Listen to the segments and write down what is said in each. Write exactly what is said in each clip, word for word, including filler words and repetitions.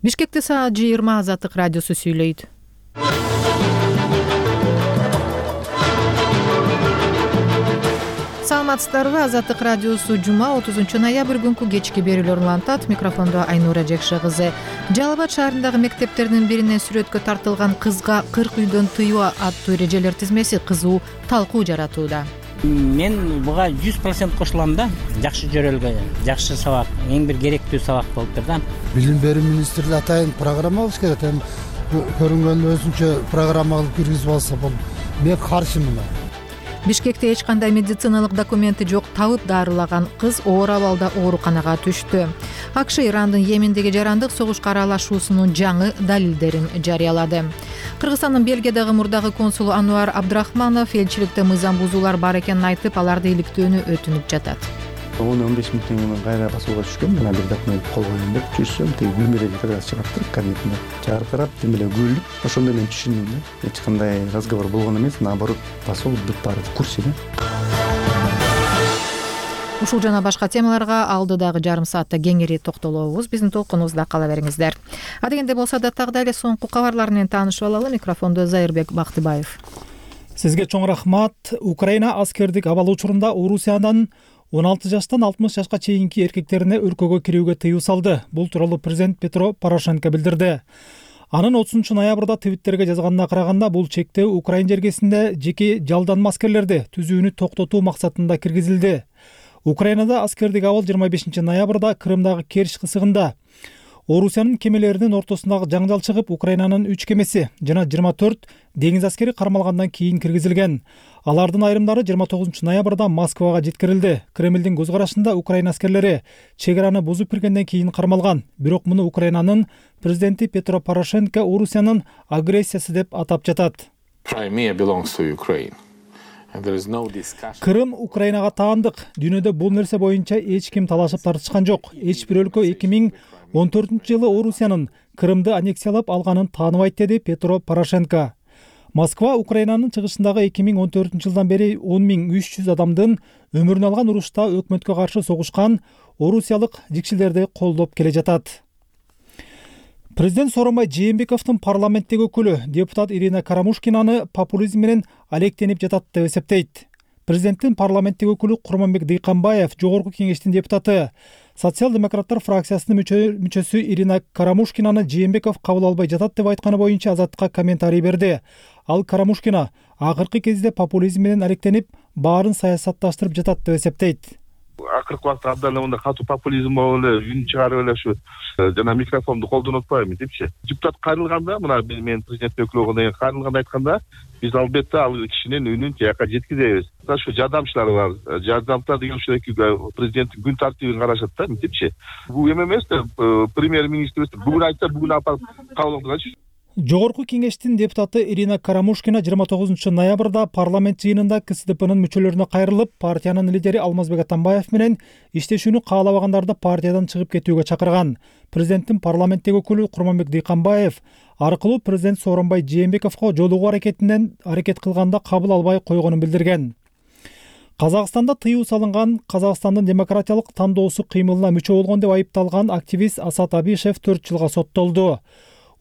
Бишкекте саат жыйырма Азаттык радиосу сүйлөйт. Саламатсыздарбы? Азаттык радиосу жума отузунчу ноябрь күнкү кечки берүүлөр улантат. Микрофондо Айнура Жекше кызы. Жалал Абад шаарындагы мектептердин биринен сүрөткө тартылган кызга кырк үйдөн тыюу аттуу эрежелер тизмеси кызуу талкуу жаратууда. Мен буга жүз процент кошулам да. Жакшы жөрөлгө, жакшы сабак, эң бир керектүү сабак болуптур да. Билим берүү министрлиги атайын программа алыш керек. Эми көрүнгөн өзүнчө программа кылып киргизип алса болот. Мен каршымын. Бишкекте эч кандай медициналык документи жок табып дарылаган кыз оор абалда ооруканага түштү. АКШ Ирандын Йемендеги жарандык согушка аралашуусунун жаңы далилдерин жарыялады. Кыргызстандын Бельгиядагы мурдагы консулу Ануар Абдрахманов элчиликте мыйзам бузуулар бар экенин айтып, аларды иликтөөнү өтүнүп жатат. он он беш миң теңге менен кайра басууга түшкөм. Мына бир документ кол коюм деп түшсөм, тиги бөлмөдөгү как раз чыгаптыр кабинетинде. Жаркырап, тим эле күлүп, ошондо мен түшүндүм да. Эч кандай разговор болгон эмес, наоборот, басуу бүт баары в курсе да. Ушул жана башка темаларга алдыдагы жарым саатта кеңири токтолобуз. Биздин толкунубузда кала бериңиздер. Адегенде болсо да тагда эле соңку кабарлар менен таанышып алалы. Микрофондо Зайырбек Бактыбаев. Сизге чоң рахмат. Украина аскердик абал учурунда Орусиядан он алты жаштан алтымыш жашка чейинки эркектерине өлкөгө кирүүгө тыюу салды. Бул тууралуу президент Петро Порошенко билдирди. Анын отузунчу ноябрда Твиттерге жазганына караганда, бул чектөө Украина жергесинде жеке жалданма аскерлерди түзүүнү токтотуу максатында киргизилди. Украинада аскердик абал жыйырма бешинчи ноябрда Крымдагы Керчь кысыгында Орусиянын кемелеринин ортосундагы жаңжал чыгып, Украинанын үч кемеси жана жыйырма төрт деңиз аскери кармалгандан кийин киргизилген. Алардын айрымдары жыйырма тогузунчу ноябрда Москвага жеткирилди. Кремлдин көз карашында Украина аскерлери чек араны бузуп киргенден кийин кармалган. Бирок муну Украинанын президенти Петро Порошенко Орусиянын агрессиясы деп атап жатат. Крым Украинага таандык. Дүйнөдө бул нерсе боюнча эч ким талашып тартышкан жок. Эч бир өлкө эки миң он төртүнчү жылы Орусиянын Крымды аннексиялап алганын тааныбайт, деди Петро Порошенко. Москва Украинанын чыгышындагы эки миң он төртүнчү жылдан бери он миң үч жүз адамдын өмүрүн алган урушта өкмөткө каршы согушкан орусиялык жикшилерди колдоп келе жатат. Президент Сооронбай Жээнбековдун парламенттеги өкүлү депутат Ирина Карамушкинаны популизм менен алектенип жатат деп эсептейт. Президенттин парламенттеги өкүлү Курманбек Дыйканбаев, жогорку кеңештин депутаты, социал-демократтар фракциясынын мүчөсү Ирина Карамушкинаны Жээнбеков кабыл албай жатат деп айтканы боюнча Азаттыкка комментарий берди. Ал Карамушкина акыркы кезде популизм менен алектенип, баарын саясатташтырып жатат деп эсептейт. Акыркы убакта абдан эле катуу популизм болуп эле үн чыгарып эле ушу жана микрофонду колдонуп атпайбы депчи. Депутат кайрылганда, мына мен президент өкүлү болгондон кийин кайрылганда айтканда, биз албетте ал кишинин үнүн тияка жеткизебиз. Ушу жардамчылар бар. Жардамчылар деген ушул эки президенттин күн тартибин карашат да, депчи. Бул эме эмес да, премьер-министр бүгүн айтса, бүгүн апарып кабыл кылгачы. Жогорку кеңештин депутаты Ирина Карамушкина жыйырма тогузунчу ноябрда парламент жыйынында КСДПнын мүчөлөрүнө кайрылып, партиянын лидери Алмазбек Атамбаев менен иштешүүнү каалабагандарды партиядан чыгып кетүүгө чакырган. Президенттин парламенттеги өкүлү Курманбек Дыйканбаев аркылуу президент Сооронбай Жээнбековго жолугуу аракетинен аракет кылганда кабыл албай койгонун билдирген. Казакстанда тыюу салынган Казакстандын демократиялык тандоосу кыймылына мүчө болгон деп айыпталган активист Асат Абишев төрт жылга соттолду.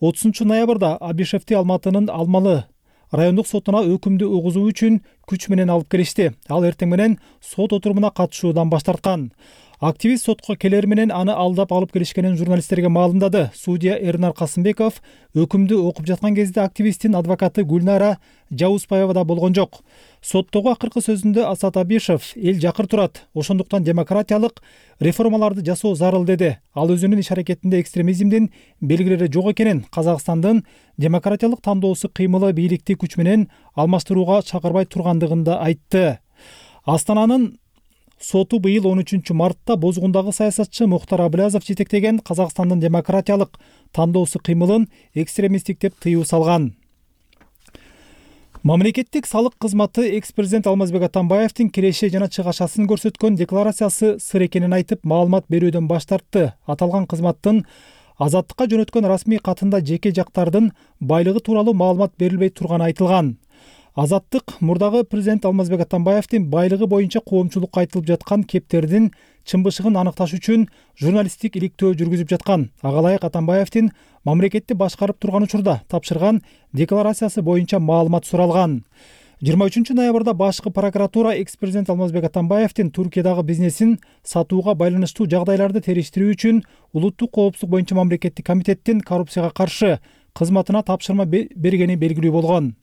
отузунчу ноябрда Абишевти Алматынын Алмалы райондук сотуна өкүмдү угузуу үчүн күч менен алып келишти. Ал эртең менен сот отурумуна катышуудан баш тарткан. Активист сотко келер менен аны алдап алып келишкенин журналисттерге маалымдады. Судья Эрнар Касымбеков өкүмдү окуп жаткан кезде активисттин адвокаты Гүлнара Жаузбаева да болгон жок. Соттогу акыркы сөзүндө Асат Абишев эл жакыр турат, ошондуктан демократиялык реформаларды жасоо зарыл деди. Ал өзүнүн иш аракетинде экстремизмдин белгилери жок экенин, Казакстандын демократиялык тандоосу кыймылы бийликти күч менен алмаштырууга чакырбай тургандыгын да айтты. Астананын соту быйыл он үчүнчү мартта Бозгундагы саясатчы Мухтар Аблязов жетектеген Казакстандын демократиялык тандоосу кыймылын экстремисттик деп тыюу салган. Мамлекеттик салык кызматы экс-президент Алмазбек Атамбаевдин киреше жана чыгашасын көрсөткөн декларациясы сыр экенин айтып, маалымат берүүдөн баш тартты. Аталган кызматтын Азаттыкка жөнөткөн расмий катында жеке жактардын байлыгы тууралуу маалымат берилбей турганы айтылган. Азаттык мурдагы президент Алмазбек Атамбаевдин байлыгы боюнча коомчулукка айтылып жаткан кептердин чынбышыгын аныкташ үчүн журналисттик иликтөө жүргүзүп жаткан. Ага ылайык Атамбаевдин мамлекетти башкарып турган учурда тапшырган декларациясы боюнча маалымат суралган. жыйырма үчүнчү ноябрда башкы прокуратура экс-президент Алмазбек Атамбаевдин Туркиядагы бизнесин сатууга байланыштуу жагдайларды териштирүү үчүн улуттук коопсуздук боюнча мамлекеттик комитеттин коррупцияга каршы кызматына тапшырма бергени белгилүү болгон.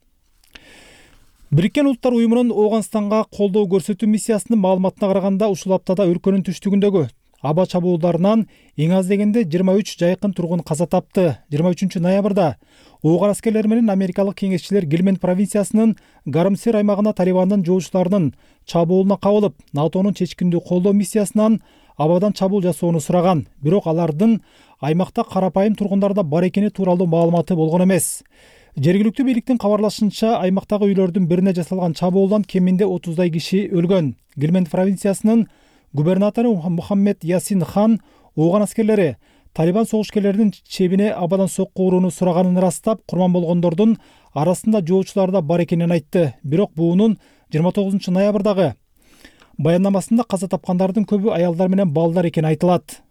Бириккен Улуттар уюмунун Ооганстанга колдоо көрсөтүү миссиясынын маалыматына караганда ушул аптада өлкөнүн түштүгүндөгү аба чабуулдарынан эң аз дегенде жыйырма үч жайкын тургун каза тапты. жыйырма үчүнчү ноябрда Ооган аскерлери менен америкалык кеңешчилер Гилмент провинциясынын Гармсер аймагына Талибандын жоочуларынын чабуулуна кабылып, НАТОнун чечкиндүү колдоо миссиясынан абадан чабуул жасоону сураган. Бирок алардын аймакта карапайым тургундарда бар экени тууралуу маалыматы болгон эмес. Жергиликтүү бийликтин кабарлашынча, аймактагы үйлөрдүн бирине жасалган чабуулдан кеминде отуздай киши өлгөн. Гилмент провинциясынын губернатору Мухаммед Ясин Хан Ооган аскерлери Талибан согушкерлеринин чебине абадан сокку урууну сураганын ырастап, курман болгондордун арасында жоочулар да бар экенин айтты. Бирок буунун жыйырма тогузунчу ноябрдагы баяндамасында каза тапкандардын көбү аялдар менен балдар экени айтылат.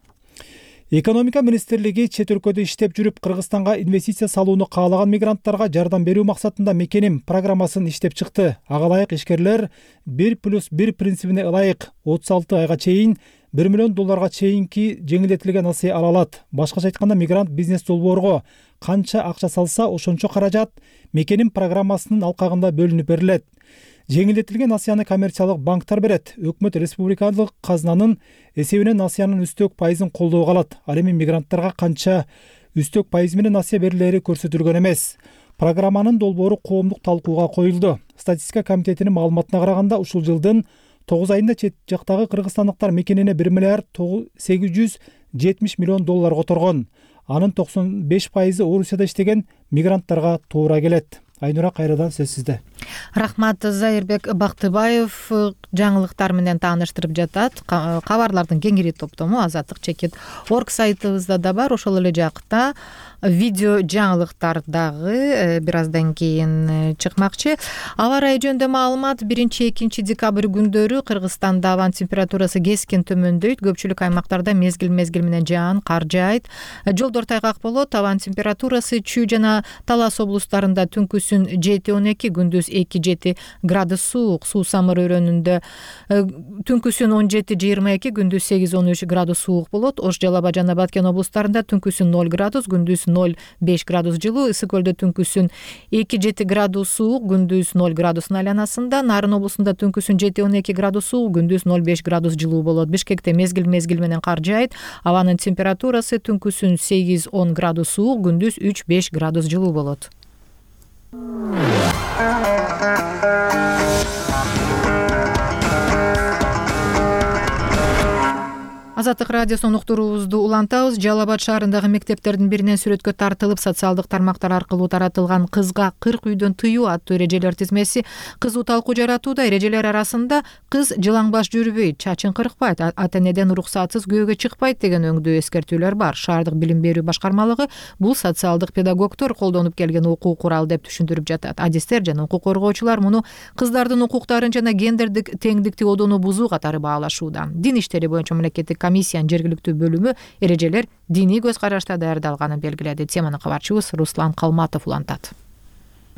Экономика министрлиги чет өлкөдө иштеп жүрүп Кыргызстанга инвестиция салууну каалаган мигранттарга жардам берүү максатында Мекеним программасын иштеп чыкты. Ага ылайык ишкерлер бир плюс бир принцибине ылайык отуз алты айга чейин бир миллион долларга чейинки жеңилдетилген насыя ала алат. Башкача айтканда, мигрант бизнес долбоорго канча акча салса, ошончо каражат Мекеним программасынын алкагында бөлүнүп берилет. Жеңилдетилген насыяны коммерциялык банктар берет. Өкмөт республикалык казынанын эсебинен насыянын үстөк пайызын колдоого алат. Ал эми мигранттарга канча үстөк пайыз менен насыя берилери көрсөтүлгөн эмес. Программанын долбоору коомдук талкууга коюлду. Статистика комитетинин маалыматына караганда, ушул жылдын тогуз айында чет жактагы кыргызстандыктар Мекенине бир миллиард сегиз жүз жетимиш миллион доллар которгон. Анын токсон беш пайызы Орусияда иштеген мигранттарга туура келет. Айнура, кайрадан сөз сизде. Рахмат. Зайырбек Бактыбаев жаңылыктар менен тааныштырып жатат. Кабарлардын кеңири топтому Азаттык чекит орг сайтыбызда да бар. Ошол эле жакта видео жаңылыктар дагы бир аздан кийин чыкмакчы. Аба ырайы жөнүндө маалымат: биринчи экинчи декабрь күндөрү Кыргызстанда абанын температурасы кескен төмөндөйт. Көпчүлүк аймактарда мезгил-мезгил менен жаан, кар жаайт. Жолдор тайгак болот. Абанын температурасы Чүй жана Талас облустарында түнкүсүн жети он эки, күндүз эки жети градус суук. Суу Самыр өрөөнүндө түнкүсүн он жети жыйырма эки, күндүз сегиз он үч градус суук болот. Ош, Жалал Абад жана Баткен облустарында түнкүсүн ноль градус, күндүз ноль беш градус жылуу. Ысык көлдө түнкүсүн эки жети градус суук, күндүз ноль градустун айланасында. Нарын облусунда түнкүсүн жети он эки градус суук, күндүз ноль беш градус жылуу болот. Бишкекте мезгил-мезгил менен кар жаайт. Абанын температурасы түнкүсүн сегиз он градус суук, күндүз үч беш градус жылуу болот. Азаттык радиосунун уктуруубузду улантабыз. Жалал Абад шаарындагы мектептердин биринен сүрөткө тартылып, социалдык тармактар аркылуу таратылган кызга кырк үйдөн тыюу аттуу эрежелер тизмеси кызуу талкуу жаратууда. Эрежелер арасында кыз жылаң баш жүрбөйт, чачын кыркпайт, ата-энеден уруксатсыз күйөөгө чыкпайт деген өңдүү эскертүүлөр бар. Шаардык билим берүү башкармалыгы бул социалдык педагогдор колдонуп келген укук курал деп түшүндүрүп жатат. Адистер жана укук коргоочулар муну кыздардын укуктарын жана гендердик теңдикти одону бузуу катары баалашууда. Дин иштери боюнча мамлекеттик комиссиянын жергиликтүү бөлүмү эрежелер диний көз карашта даярдалганын белгиледи. Теманы кабарчыбыз Руслан Калматов улантат.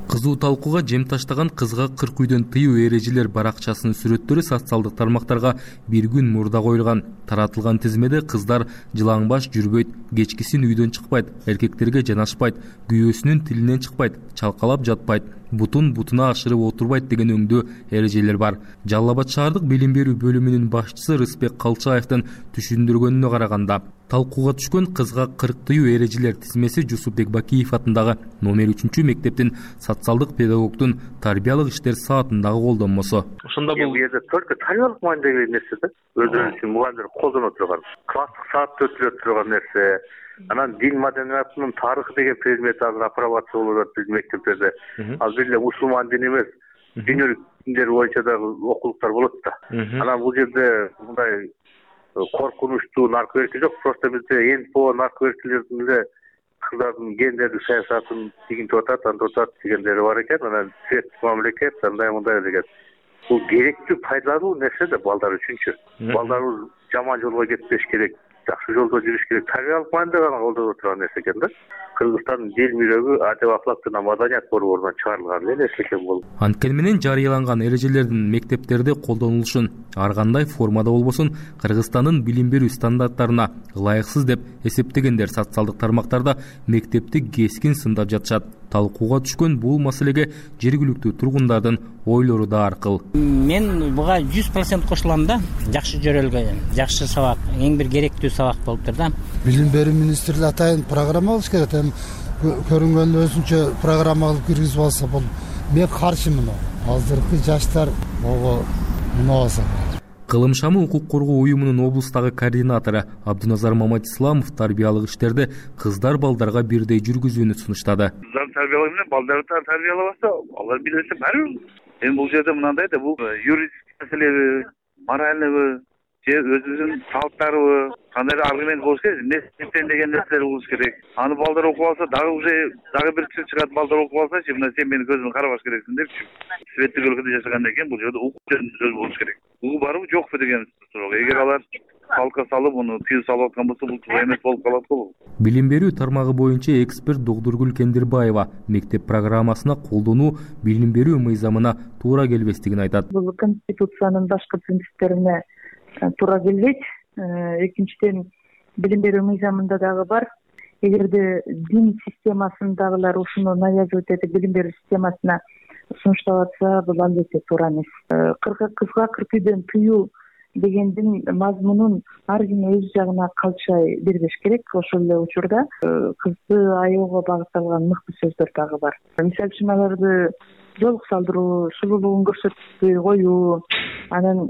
Кызуу талкууга жем таштаган кызга кырк үйдөн тыюу эрежелер баракчасынын сүрөттөрү социалдык тармактарга бир күн мурда коюлган. Таратылган тизмеде кыздар жылаң баш жүрбөйт, кечкисин үйдөн чыкпайт, эркектерге жанашпайт, күйөөсүнүн тилинен чыкпайт, чалкалап жатпайт, бутун бутуна ашырып отурбайт деген өңдүү эрежелер бар. Жалал Абад шаардык билим берүү бөлүмүнүн башчысы Рыспек Калчаевдин түшүндүргөнүнө караганда, талкууга түшкөн кызга кырк тыюу эрежелер тизмеси Жусупбек Бакиев атындагы номер үчүнчү мектептин социалдык педагогдун тарбиялык иштер саатындагы колдонмосу. Ошондо бул жерде только тарбиялык маанидеги нерсе да. Өздөрү үчүн мугалимдер колдоно турган, класстык саатта өтүлө турган нерсе. Анан дин маданиятынын тарыхы деген предмет азыр апробация болуп атат биздин мектептерде. Азыр эле мусулман дин эмес, дүйнөлүк диндер боюнча дагы окулуктар болот да. Анан бул жерде мындай коркунучтуу наркоерки жок, просто бизде эн по наркоеркилердин эле кыздардын мунун гендердик саясатын тигинтип атат, антип атат дегендери бар экен. Анан светтик мамлекет андай мындай деген. Бул керектүү, пайдалуу нерсе да балдар үчүнчү. Балдарыбыз жаман жолго кетпеш керек, жакшы жолдо жүрүш керек. Тарбиялык маанидэ гана колдоно турган нерсе экен да. Кыргызстандын дил мирөгү адеп ахлак жана маданият борборунан чыгарылган эле нерсе экен бул. Анткени менен жарыяланган эрежелердин мектептерде колдонулушун ар кандай формада болбосун Кыргызстандын билим берүү стандарттарына ылайыксыз деп эсептегендер социалдык тармактарда мектепти кескин сындап жатышат. Талкууга түшкөн бул маселеге жергиликтүү тургундардын ойлору да ар кыл. Мен буга жүз процент кошулам да. Жакшы жөрөлгөн, жакшы сабак, эң бир керектүү сабак болуптур да. Билим берүү министрлиги атайын программа кылыш керек. Эми көрүнгөн өзүнчө программа кылып киргизип алса бул мен каршымын. Азыркы жаштар ого мунабаса. Кылым шамы укук коргоо уюмунун облустагы координатору Абдуназар Маматисламов тарбиялык иштерди кыздар балдарга бирдей жүргүзүүнү сунуштады. Кыздар тарбиялоо менен балдарды тарбиялабаса, алар билесе барбыр. Эми бул жерде мынандай да, бул юридический маселеби, моральныйбы, же өзүбүздүн салттарыбы, кандай аргумент болуш керек, несиптен деген нерселер болуш керек. Аны балдар окуп алса, дагы уже дагы бир киши чыгат, балдар окуп алсачы, мына сен менин көзүмө карабаш керексиң депчи. Светтик өлкөдө жашагандан кийин бул жерде укук жөнүндө сөз болуш керек. Укук барбы, жокпу деген суроо. Эгер алар салка салып, муну тыюу салып аткан болсо, бул туура эмес болуп калат го. Билим берүү тармагы боюнча эксперт Догдургүл Кендирбаева мектеп программасына колдонуу билим берүү мыйзамына туура келбестигин айтат. Бул Конституциянын башкы принциптерине туура келбейт. Экинчиден, билим берүү мыйзамында дагы бар. Эгерде дин системасындагылар ушуну навязывать этип билим берүү системасына сунуштап атса, бул албетте туура эмес. Кызга кыркүйдөн тыюу дегендин мазмунун ар ким өз жагына калчай бербеш керек. Ошол эле учурда кызды аяоого багытталган мыкты сөздөр дагы бар. Мисалы үчүн аларды жолук салдыруу, сулуулугун көрсөтпөй коюу, анан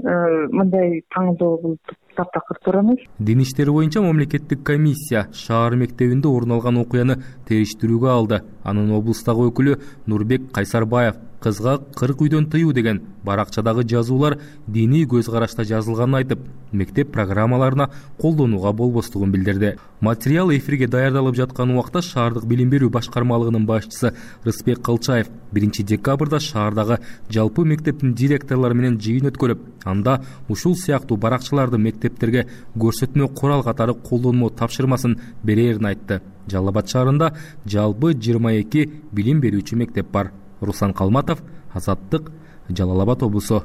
мындай таңдоо бул таптакыр туура эмес. Дин иштери боюнча мамлекеттик комиссия шаар мектебинде орун алган окуяны териштирүүгө алды. Анын облустагы өкүлү Нурбек Кайсарбаев кызга кырк үйдөн тыюу деген баракчадагы жазуулар диний көз карашта жазылганын айтып, мектеп программаларына колдонууга болбостугун билдирди. Материал эфирге даярдалып жаткан убакта шаардык билим берүү башкармалыгынын башчысы Рыспек Кылчаев биринчи декабрда шаардагы жалпы мектептин директорлору менен жыйын өткөрүп, анда ушул сыяктуу баракчаларды мектептерге көрсөтмө курал катары колдонмо тапшырмасын берерин айтты. Жалал Абад шаарында жалпы жыйырма эки билим берүүчү мектеп бар. Руслан Калматов, Азаттык, Жалал Абад облусу.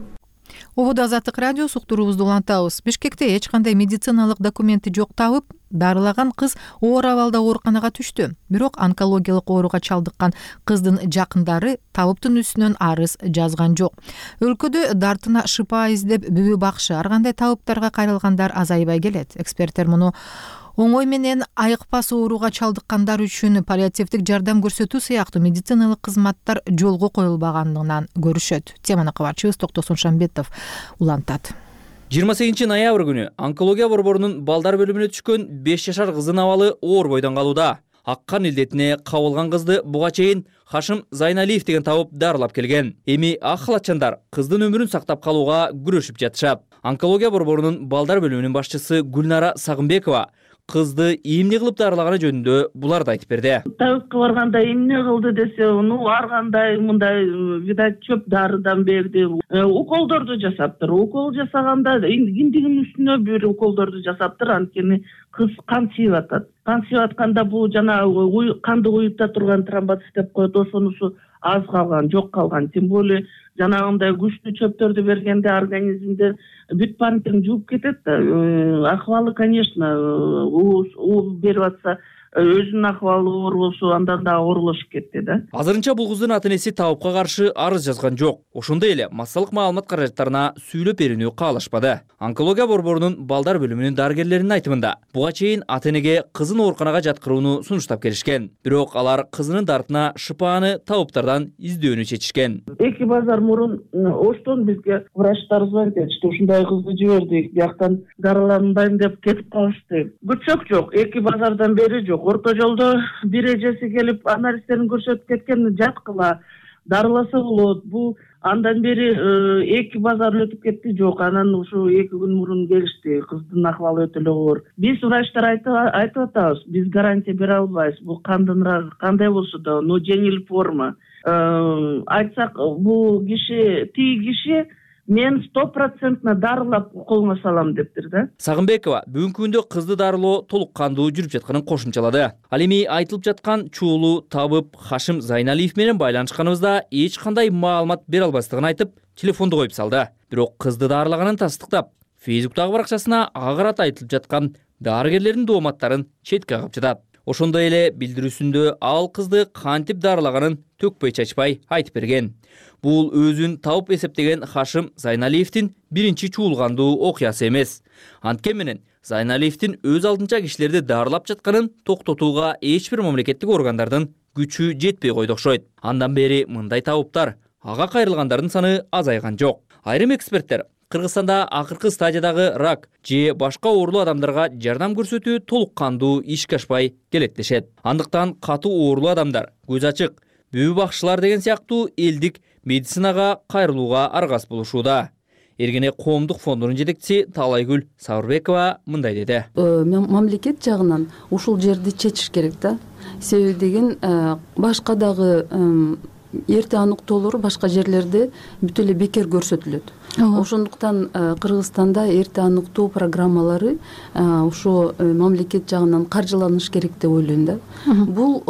Ободо Азаттык радиосу уктуруубузду улантабыз. Бишкекте эч кандай медициналык документи жок табып, дарылаган кыз оор абалда ооруканага түштү. Бирок онкологиялык ооруга чалдыккан кыздын жакындары табыптын үстүнөн арыз жазган жок. Өлкөдө дартына шыпа издеп бүбү бакшы ар кандай табыптарга кайрылгандар азайбай келет. Эксперттер муну оңой менен айыкпас ооруга чалдыккандар үчүн паллиативдик жардам көрсөтүү сыяктуу медициналык кызматтар жолго коюлбаганынан көрүшөт. Теманы кабарчыбыз Токтосун Шамбетов улантат. жыйырма сегизинчи ноябрь күнү онкология борборунун балдар бөлүмүнө түшкөн беш жашар кыздын абалы оор бойдон калууда. Аккан илдетине кабылган кызды буга чейин Хашим Зайналиев деген табып дарылап келген. Эми ак халатчандар кыздын өмүрүн сактап калууга күрөшүп жатышат. Онкология борборунун балдар бөлүмүнүн башчысы Гүлнара Сагынбекова кызды эмне кылып дарылаганы жөнүндө буларды айтып берди. Табипке барганда эмне кылды десе, ну ар кандай мындай видать чөп дарыдан берди. Уколдорду жасаптыр. Укол жасаганда киндигинин үстүнө бир уколдорду жасаптыр, анткени кыз кан сүйүп атат. Кан сүйүп атканда бул жана канды уюпта турган тромбоцит деп коет, ошонусу аз калган, жок калган. Тем более жанагындай күчтүү чөптөрдү бергенде организмде бүт парниктин жууп кетет да. Акыбалы, конечно, уу берип атса, өзүнүн акыбалы оор болсо андан да оорлошуп кетти да. Азырынча бул кыздын ата-энеси табипка каршы арыз жазган жок. Ошондой эле массалык маалымат каражаттарына сүйлөп берүүнү каалашпады. Онкология борборунун балдар бөлүмүнүн дарыгерлеринин айтымында, буга чейин ата-энеге кызын ооруканага жаткырууну сунуштап келишкен. Бирок алар кызынын дартына шыпааны табыптардан издөөнү чечишкен. Эки базар мурун оштон бизге врачтар звонить этишти, ушундай кызды жибердик, бияктан дарыланбайм деп кетип калышты. Күчөк жок, эки базардан бери жок. Орто жолдо бир эжеси келип анализдерин көрсөтүп кеткен, жаткыла. дарыласа болот. Бул андан бери эки базар өтүп кетти, жок. Анан ушу эки күн мурун келишти. Кыздын акыбалы өтө эле оор. Биз врачтар айтып атабыз, биз гарантия бере албайбыз. Бул кандын рагы кандай болсо да, но жеңил форма. Айтсак, бул киши, тиги киши мен сто процентно дарылап колуңа салам дептир да. Сагынбекова бүгүнкү күндө кызды дарылоо толук кандуу жүрүп жатканын кошумчалады. Ал эми айтылып жаткан чуулу табып Хашим Зайналиев менен байланышканыбызда эч кандай маалымат бере албастыгын айтып, телефонду коюп салды. Бирок кызды дарылаганын тастыктап, Фейсбуктагы баракчасына агырат айтылып жаткан дарыгерлердин дооматтарын четке кагып жатат. Ошондой эле билдирүүсүндө ал кызды кантип дарылаганын төкпөй чачпай айтып берген. Бул өзүн табып эсептеген Хашим Зайналиевдин биринчи чуулгандуу окуясы эмес. Анткени менен Зайналиевдин өз алдынча кишилерди дарылап жатканын токтотууга эч бир мамлекеттик органдардын күчү жетпей койду окшойт. Андан бери мындай табыптар, ага кайрылгандардын саны азайган жок. Айрым эксперттер Кыргызстанда акыркы стадиядагы рак же башка оорулуу адамдарга жардам көрсөтүү толук кандуу ишке ашпай келет дешет. Андыктан катуу оорулуу адамдар, көз ачык, бүбү бакчылар деген сыяктуу элдик медицинага кайрылууга аргас болушууда. Эргене коомдук фондунун жетекчиси Таалайгүл Сабырбекова мындай деди. Мамлекет жагынан ушул жерди чечиш керек да. Себеби деген башка дагы эрте аныктоолору башка жерлерде бүт эле бекер көрсөтүлөт. Ошондуктан Кыргызстанда эрте аныктоо программалары ошо мамлекет жагынан каржыланыш керек деп ойлойм да. Бул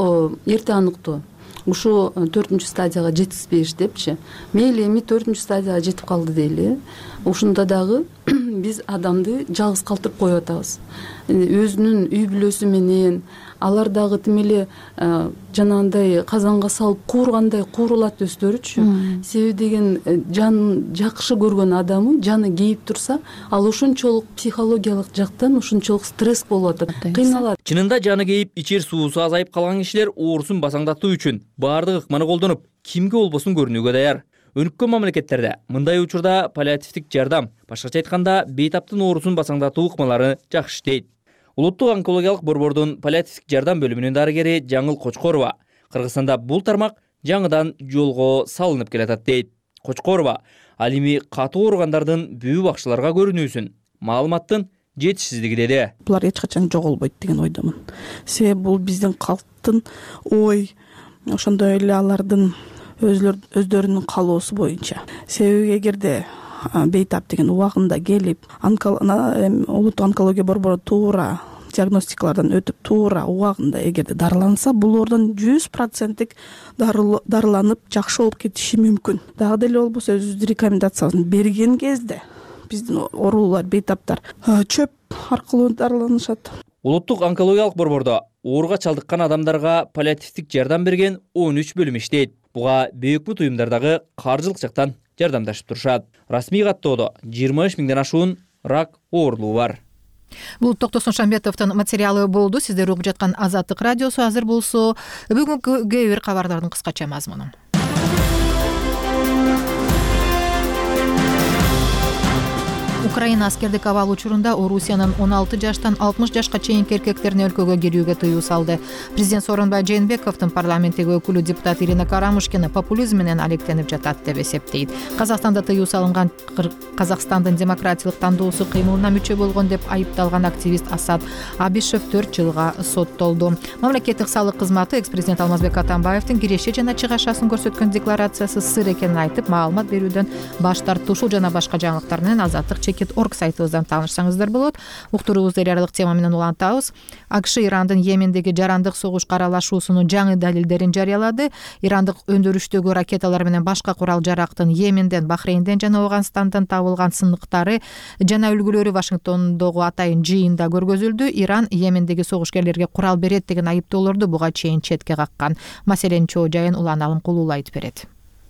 эрте аныктоо ушу төртүнчү стадияга жеткизбеш депчи. Мейли эми төртүнчү стадияга жетип калды дейли. Ушунда дагы биз адамды жалгыз калтырып коюп атабыз. Өзүнүн үй бүлөсү менен алар дагы тим эле жанагындай казанга салып куургандай куурулат өздөрүчү. Себеби деген жанын жакшы көргөн адамы жаны кейип турса, ал ошончолук психологиялык жактан ошончолук стресс болуп атат, кыйналат. Чынында жаны кейип, ичер суусу азайып калган кишилер оорусун басаңдатуу үчүн баардык ыкманы колдонуп, кимге болбосун көрүнүүгө даяр. Өнүккөн мамлекеттерде мындай учурда паллиативдик жардам, башкача айтканда, бейтаптын оорусун басаңдатуу ыкмалары жакшы иштейт. Улуттук онкологиялык борбордун паллиативдик жардам бөлүмүнүн дарыгери Жаңыл Кочкорова Кыргызстанда бул тармак жаңыдан жолго салынып келатат дейт. Кочкорова ал эми катуу ооругандардын бүбү бакчыларга көрүнүүсүн, маалыматтын жетишсиздиги деди. Булар эч качан жоголбойт деген ойдомун. Себеби бул биздин калктын ой, ошондой эле алардын өздөрүнүн каалоосу боюнча. Себеби эгерде бейтап деген убагында келип, улуттук онкология борбору туура диагностикалардан өтүп, туура убагында эгерде дарыланса, бул оордон жүз проценттик дарыланып жакшы болуп кетиши мүмкүн. Дагы деле болбосо өзүбүздүн рекомендациябызды берген кезде биздин оорулуулар, бейтаптар чөп аркылуу дарыланышат. Улуттук онкологиялык борбордо ооруга чалдыккан адамдарга паллиативдик жардам берген он үч бөлүм иштейт. Буга бөйөкмүт уюмдардагы каржылык жактан жардамдашып турушат. Расмий каттоодо жыйырма үч миңден ашуун рак оорулуу бар. Бул Токтосун Шамбетовдун материалы болду. Сиздер угуп жаткан Азаттык радиосу. Азыр болсо бүгүнкү кээ бир кабардардын кыскача мазмуну. Украина аскердик абал учурунда Орусиянын он алты жаштан алтымыш жашка чейинки эркектерине өлкөгө кирүүгө тыюу салды. Президент Сооронбай Жээнбековдун парламенттеги өкүлү депутат Ирина Карамушкина популизм менен алектенип жатат деп эсептейт. Казакстанда тыюу салынган Казакстандын демократиялык тандоосу кыймылына мүчө болгон деп айыпталган активист Асад Абишев төрт жылга соттолду. Мамлекеттик салык кызматы экс-президент Алмазбек Атамбаевдин киреше жана чыгашасын көрсөткөн декларациясы сыр экенин айтып, маалымат берүүдөн баш тартты. Ушул жана башка жаңылыктар менен Азаттык орг сайтыбыздан таанышсаңыздар болот. Уктуруубузду эриялык тема менен улантабыз. АКШ Ирандын Йемендеги жарандык согушка аралашуусунун жаңы далилдерин жарыялады. Ирандык өндүрүштөгү ракеталар менен башка курал жарактын Йеменден, Бахрейнден жана Ооганстандан табылган сындыктары жана үлгүлөрү Вашингтондогу атайын жыйында көргөзүлдү. Иран Йемендеги согушкерлерге курал берет деген айыптоолорду буга чейин четке каккан. Маселенин чоо жайын Улан Алымкулуу айтып берет.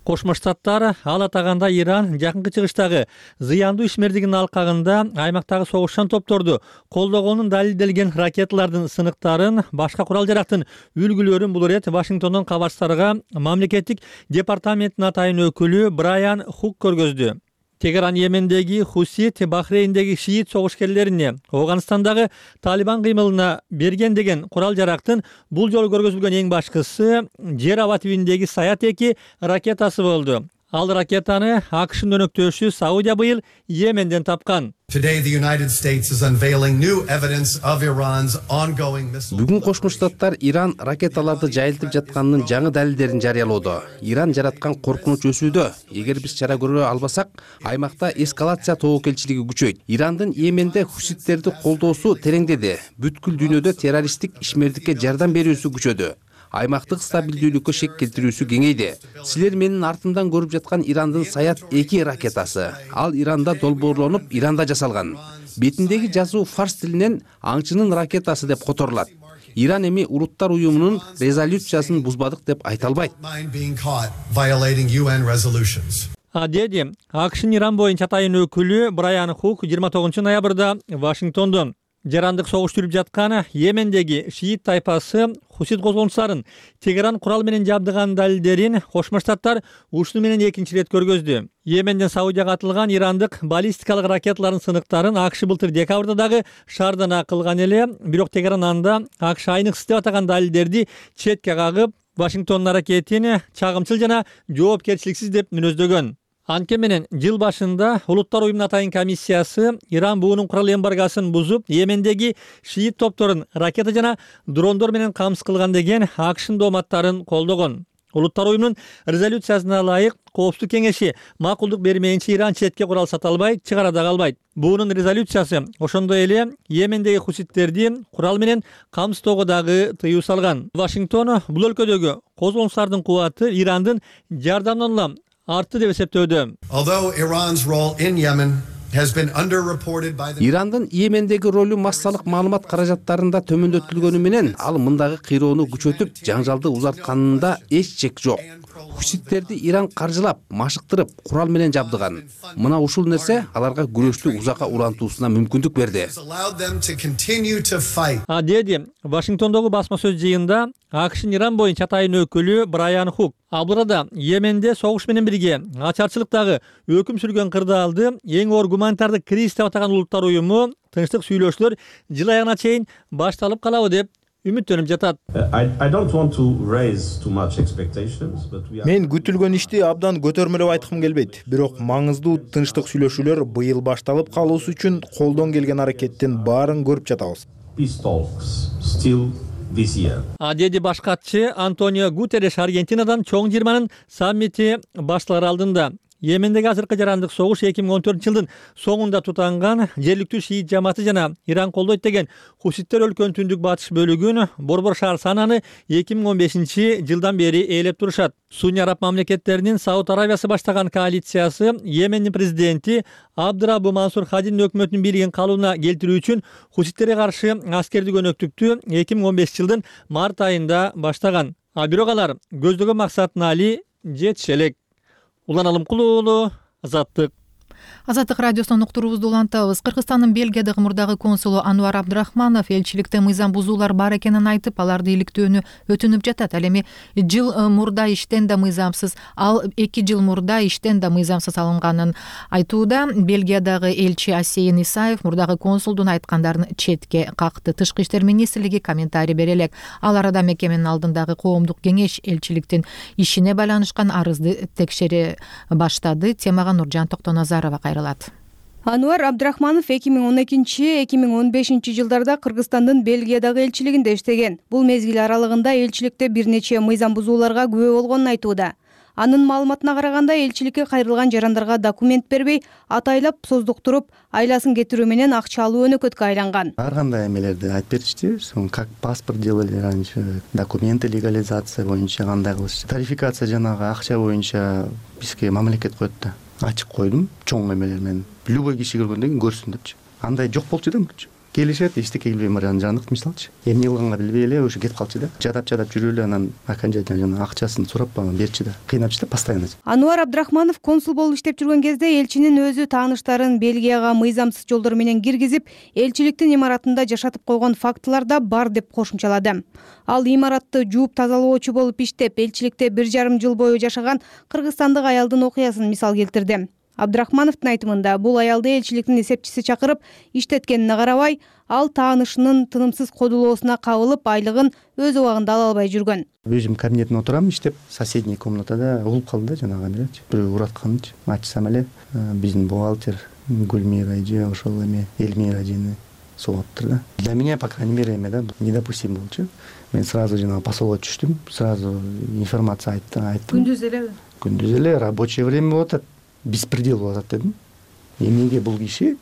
Кошмо Штаттар ал атаганда Иран жакынкы чыгыштагы зыяндуу ишмердигинин алкагында аймактагы согушчан топторду колдогонун далилделген ракеталардын сыныктарын, башка курал жарактын үлгүлөрүн бул ирет Вашингтондон кабарчыларга мамлекеттик департаменттин атайын өкүлү Брайан Хук көргөздү. Тегеран Йемендеги Хусит, Бахрейндеги шиит согушкерлерине, Ооганстандагы Талибан кыймылына берген деген курал жарактын бул жолу көргөзүлгөн эң башкысы жер аба тибиндеги Саят эки ракетасы болду. Ал ракетаны АКШнын өнөктөшү Саудия быйыл Йеменден тапкан. Бүгүн Кошмо Штаттар Иран ракеталарды жайылтып жатканынын жаңы далилдерин жарыялоодо. Иран жараткан коркунуч өсүүдө. Эгер биз чара көрө албасак, аймакта эскалация тобокелчилиги күчөйт. Ирандын Йеменде хуситтерди колдоосу тереңдеди. Бүткүл дүйнөдө террористтик ишмердикке жардам берүүсү күчөдү. Аймактык стабилдүүлүккө шек келтирүүсү кеңейди. Силер менин артымдан көрүп жаткан Ирандын Саят эки ракетасы. Ал Иранда долбоорлонуп, Иранда жасалган. Бетиндеги жазуу фарс тилинен аңчынын ракетасы деп которулат. Иран эми Улуттар уюмунун резолюциясын бузбадык деп айта албайт. А деди, АКШнын Иран боюнча атайын өкүлү Брайан Хук жыйырма тогузунчу ноябрда Вашингтондон жарандык согуш жүрүп жаткан Йемендеги шиит тайпасы Хусит козголуңчуларын Тегеран курал менен жабдыган далилдерин Кошмо Штаттар ушуну менен экинчи ирет көргөздү. Йеменден Саудияга атылган ирандык баллистикалык ракеталардын сыныктарын АКШ былтыр декабрда дагы шаардан кылган эле, бирок Тегеран анда АКШ айныксыз деп атаган далилдерди четке кагып, Вашингтондун аракетин чагымчыл жана жоопкерчиликсиз деп мүнөздөгөн. Анткени менен жыл башында Улуттар уюмунун атайын комиссиясы Иран буунун курал эмбаргасын бузуп, Йемендеги шиит топторун ракета жана дрондор менен камсыз кылган деген АКШнын дооматтарын колдогон. Улуттар уюмунун резолюциясына ылайык Коопсуздук кеңеши макулдук бермейинче Иран четке курал сата албайт, чыгара дагы албайт. Буунун резолюциясы ошондой эле Йемендеги хуситтерди курал менен камсыздоого дагы тыюу салган. Вашингтон бул өлкөдөгү козголуңчулардын кубаты Ирандын жардамынан улам артты деп эсептөөдө. Ирандын Йемендеги ролу массалык маалымат каражаттарында төмөндөтүлгөнү менен ал мындагы кыйроону күчөтүп, жаңжалды узартканында эч чек жок. Хуситтерди Иран каржылап, машыктырып, курал менен жабдыган. Мына ушул нерсе аларга күрөштү узакка улантуусуна мүмкүндүк берди. А деди, Вашингтондогу басма сөз жыйында АКШнын Иран боюнча атайын өкүлү Брайан Хук Абурада Йеменде согуш менен бирге ачарчылыктагы өкүм сүргөн кырдаалды эң оор гуманитардык кризис деп атаган Улуттар уюму тынчтык сүйлөшүүлөр жыл аягына чейин башталып калабы деп үмүттөнүп жатат. Мен күтүлгөн ишти абдан көтөрмөлөп айткым келбейт, бирок маңыздуу тынчтык сүйлөшүүлөр быйыл башталып калуусу үчүн колдон келген аракеттин баарын көрүп жатабыз. А деди баш катчы Антонио Гутерреш Аргентинадан чоң жыйырманын саммити башталар алдында. Йемендеги азыркы жарандык согуш эки миң он төртүнчү жылдын соңунда тутанган жергиликтүү шиит жамааты жана Иран колдойт деген хуситтер өлкөнүн түндүк батыш бөлүгүн борбор шаар сананы эки миң он бешинчи жылдан бери ээлеп турушат. Сунни араб мамлекеттеринин Сауд Аравиясы баштаган коалициясы Йемендин президенти Абдураббу Мансур Хадинин өкмөтүнүн бийлигин калыбына келтирүү үчүн хуситтерге каршы аскердик өнөктүктү эки миң он бешинчи жылдын март айында баштаган. А бирок алар көздөгөн максатына али жетише элек. Улан Алымкулуу уулу, Азаттык. Азаттык радиосунун уктуруубузду улантабыз. Кыргызстандын Бельгиядагы мурдагы консулу Ануар Абдрахманов элчиликте мыйзам бузуулар бар экенин айтып, аларды иликтөөнү өтүнүп жатат. Ал эми жыл мурда иштен да мыйзамсыз, ал эки жыл мурда иштен да мыйзамсыз алынганын айтууда. Бельгиядагы элчи Асейин Исаев мурдагы консулдун айткандарын четке какты. Тышкы иштер министрлиги комментарий бере элек. Ал арада мекеменин алдындагы коомдук кеңеш элчиликтин ишине байланышкан арызды текшере баштады. Темага Нуржан Токтоназарова кайрылат. Ануар Абдрахманов эки миң он экинчи — эки миң он бешинчи жылдарда Кыргызстандын Бельгиядагы элчилигинде иштеген. Бул мезгил аралыгында элчиликте бир нече мыйзам бузууларга күбө болгонун айтууда. Анын маалыматына караганда элчиликке кайрылган жарандарга документ бербей, атайлап создуктуруп, айласын кетирүү менен акча алуу өнөкөткө айланган. Ар кандай эмелерди айтып беришти, как паспорт делали раньше, документы легализация боюнча кандай кылышты. Тарификация жанагы акча боюнча бизге мамлекет коет да. Ачык койдум, чоң эмелер менен. Любой киши көргөндөн кийин көрсүн депчи. Андай жок болчу да мурчу. Келишет, эчтеке келбей барган жандык мисалчы. Эмне кылганга билбей эле ошо кетип калчу да. Жадап-жадап жүрүп эле анан окончательно жана акчасын сурап берчи да. Кыйнапчы да постоянно. Ануар Абдрахманов консул болуп иштеп жүргөн кезде элчинин өзү тааныштарын Бельгияга мыйзамсыз жолдор менен киргизип, элчиликтин имаратында жашатып койгон фактылар да бар деп кошумчалады. Ал имаратты жууп тазалоочу болуп иштеп, элчиликте бир жарым жыл бою жашаган кыргызстандык аялдын окуясын мисал келтирди. Абдрахмановдун айтымында бул аялды элчиликтин эсепчиси чакырып иштеткенине карабай, ал таанышынын тынымсыз кодулоосуна кабылып, айлыгын өз убагында ала албай жүргөн. Өзүм кабинетте отурам иштеп, соседний комнатада угуп калды да жанагы эмелечи. Бирөө уратканчы. Ачсам эле биздин бухгалтер Гүлмира эже, ошол эме Элмира эжени согуптур да. Для меня, по крайней мере, эме да недопустим болчу. Мен сразу жанагы посолго түштүм, сразу информация айттым. Күндүз элеби? Күндүз эле рабочий время болуп атат, беспредел болуп атат дедим. Эмнеге бул киши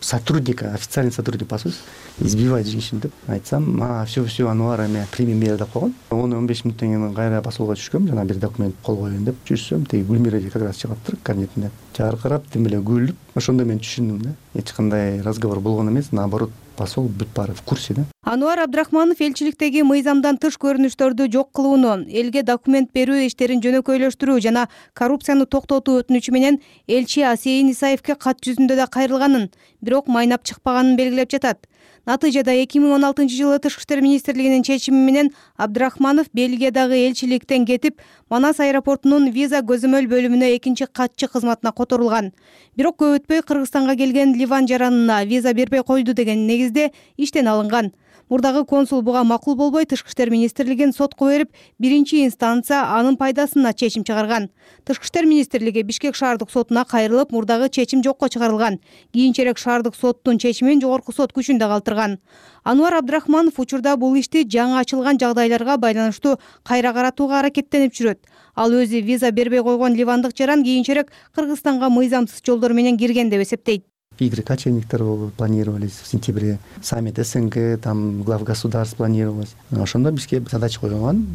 сотрудника, официальный сотрудник посольства избивает женщин деп айтсам, а все все Ануар эме прими меры деп койгон. он он беш мүнөттөн кийин кайра посолго түшкөм, жана бир документ кол коеюн деп жүрсөм, теги Гүлмира эже как раз чыгаптыр кабинетинде. Жаркырап, тим эле күлүп, ошондо мен түшүндүм да. Эч кандай разговор болгон эмес, наоборот, посол бүт баары в курсе да. Ануар Абдрахманов элчиликтеги мыйзамдан тыш көрүнүштөрдү жок кылууну, элге документ берүү иштерин жөнөкөйлөштүрүү жана коррупцияны токтотуу өтүнүчү менен элчи Асейин Исаевке кат жүзүндө да кайрылганын, бирок майнап чыкпаганын белгилеп жатат. Натыйжада эки миң он алтынчы жылы Тышкы иштер министрлигинин чечими менен Абдрахманов Бельгиядагы элчиликтен кетип, Манас аэропортунун виза көзөмөл бөлүмүнө экинчи катчы кызматына которулган. Бирок көп өтпөй Кыргызстанга келген Ливан жаранына виза бербей койду деген негизде иштен алынган. Мурдагы консул буга макул болбой, Тышкы иштер министрлигин сотко берип, биринчи инстанция анын пайдасына чечим чыгарган. Тышкы иштер министрлиги Бишкек шаардык сотуна кайрылып, мурдагы чечим жокко чыгарылган. Кийинчерээк шаардык соттун чечимин жогорку сот күчүндө калтырган. Ануар Абдрахманов учурда бул ишти жаңы ачылган жагдайларга байланыштуу кайра каратууга аракеттенип жүрөт. Ал өзү виза бербей койгон ливандык жаран кийинчерээк Кыргызстанга мыйзамсыз жолдор менен кирген деп эсептейт. Игры кочевниктер планировались в сентябре, саммит СНГ, там глав государств планировалось. Ошондо бизге задача койгон,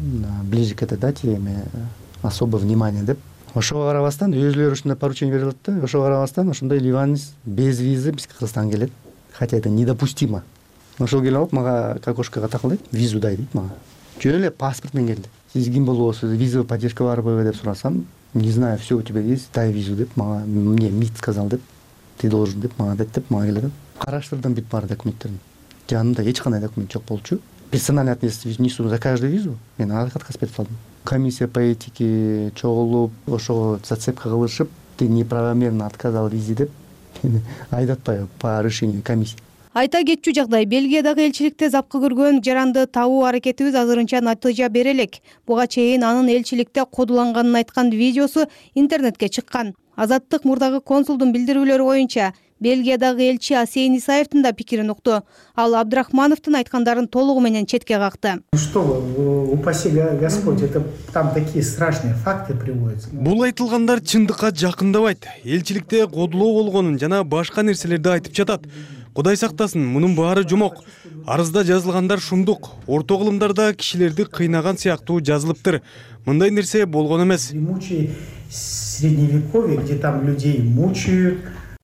ближе к этой дате особое внимание деп. Ошого карабастан өзүлөрү ушундай поручение берилет да, ошого карабастан ошондой ливанец без визы бизге Кыргызстанга келет. Хотя это недопустимо. Ошол келип алып мага к окошкого такылдайт, визу дай дейт мага. Жөн эле паспорт менен келди. Сиз ким болосуз, визовая поддержка барбы деп сурасам, не знаю, все у тебя есть, дай визу деп мага, мне МИД сказал деп. Ты должен деп мага дейт деп мага келет. Караштырдым бүт баары документтерин. Жанымда эч кандай документ жок болчу. Персональный ответственность несу за каждую визу. Мен отказ берип калдым. Комиссия по этике чогулуп, ошого зацепка кылышып, ты неправомерно отказал визе деп айдатпай по решению комиссии. Айта кетчү жагдай, Бельгиядагы элчиликте запкы көргөн жаранды табуу аракетибиз азырынча натыйжа бере элек. Буга чейин анын элчиликте кодуланганын айткан видеосу интернетке чыккан. Азаттык мурдагы консулдун билдирүүлөрү боюнча Бельгиядагы элчи Асейин Исаевдин да пикирин укту. Ал Абдрахмановдун айткандарын толугу менен четке какты. Что вы, упаси Господь, это там такие страшные факты приводятся. Бул айтылгандар чындыкка жакындабайт. Элчиликте кодулоо болгонун жана башка нерселерди айтып жатат. Кудай сактасын, мунун баары жомок. Арызда жазылгандар шундук. Орто кылымдарда кишилерди кыйнаган сыяктуу жазылыптыр. Мындай нерсе болгон эмес. Средневековье, где там людей мучают.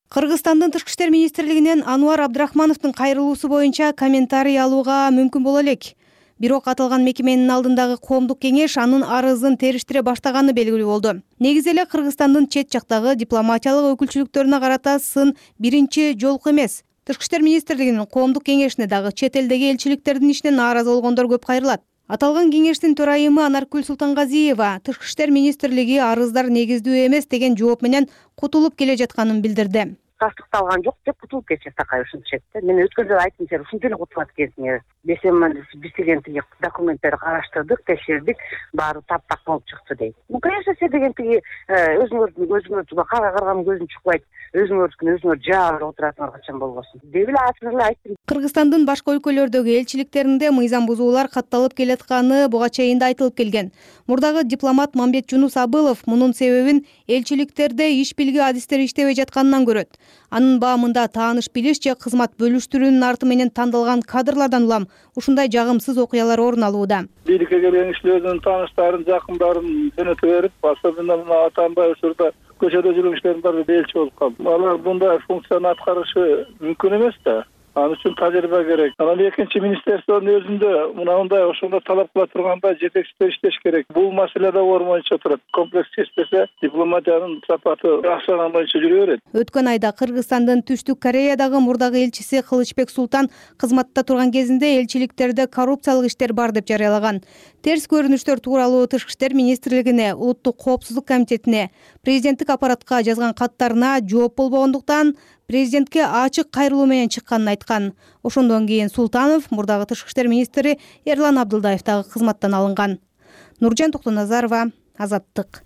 Кыргызстандын Тышкы иштер министрлигинен Ануар Абдрахмановдун кайрылуусу боюнча комментарий алууга мүмкүн боло элек. Бирок аталган мекеменин алдындагы коомдук кеңеш анын арызын териштире баштаганы белгилүү болду. Негизи эле Кыргызстандын чет жактагы дипломатиялык өкүлчүлүктөрүнө карата сын биринчи жолку эмес. Тышкы иштер министрлигинин коомдук кеңешине дагы чет элдеги элчиликтердин ишине нааразы болгондор көп кайрылат. Аталган кеңештин төрайымы Анаркүл Султангазиева Тышкы иштер министрлиги арыздар негиздүү эмес деген жооп менен кутулуп келе жатканын билдирди. Тастыкталган жок деп кутулуп кетишет такай ушунча. Мен өткөн жолу айттым, сен ушунча эле кутулат экенсиң. Десем, биз дегентиги документтерди караштырдык, текшердик, баары таптак болуп чыкты дейт. Ну, конечно, сен дегентиги өзүңөрдүн өзүңөрдү кара карган көзүң чукпайт, өзүңөрдүкүн өзүңөр жаап отурасыңар качан болбосун деп эле ачык эле айттым. Кыргызстандын башка өлкөлөрдөгү элчиликтеринде мыйзам бузуулар катталып келатканы буга чейин да айтылып келген. Мурдагы дипломат Мамбет Жунус Абылов мунун себебин элчиликтерде иш билги адистери иштебей жатканынан көрөт. Анын баамында тааныш билиш же кызмат бөлүштүрүүнүн арты менен тандалган кадрлардан улам ушундай жагымсыз окуялар орун алууда. Бийликке келген кишилер өзүнүн тааныштарын, жакындарын жөнөтө берип, особенно мына Атамбай учурда көчөдө жүргөн кишилердин баары элчи болуп калды. Алар мындай функцияны аткарышы мүмкүн эмес да. Ал үчүн тажрыйба керек. Анан экинчи министерствонун өзүндө мынандай ошондой талап кыла турганда жетекчилер иштеш керек. Бул маселе да оор боюнча турат. Комплекс чечпесе дипломатиянын сапаты акчаган боюнча жүрө берет. Өткөн айда Кыргызстандын Түштүк Кореядагы мурдагы элчиси Кылычбек Султан кызматта турган кезинде элчиликтерде коррупциялык иштер бар деп жарыялаган. Терс көрүнүштөр тууралуу Тышкы иштер министрлигине, Улуттук коопсуздук комитетине, президенттик аппаратка жазган каттарына жооп болбогондуктан президентке ачык кайрылуу менен чыкканын айткан. Ошондон кийин Султанов мурдагы Тышкы иштер министри Эрлан Абдылдаев дагы кызматтан алынган. Нуржан Токтоназарова, Азаттык.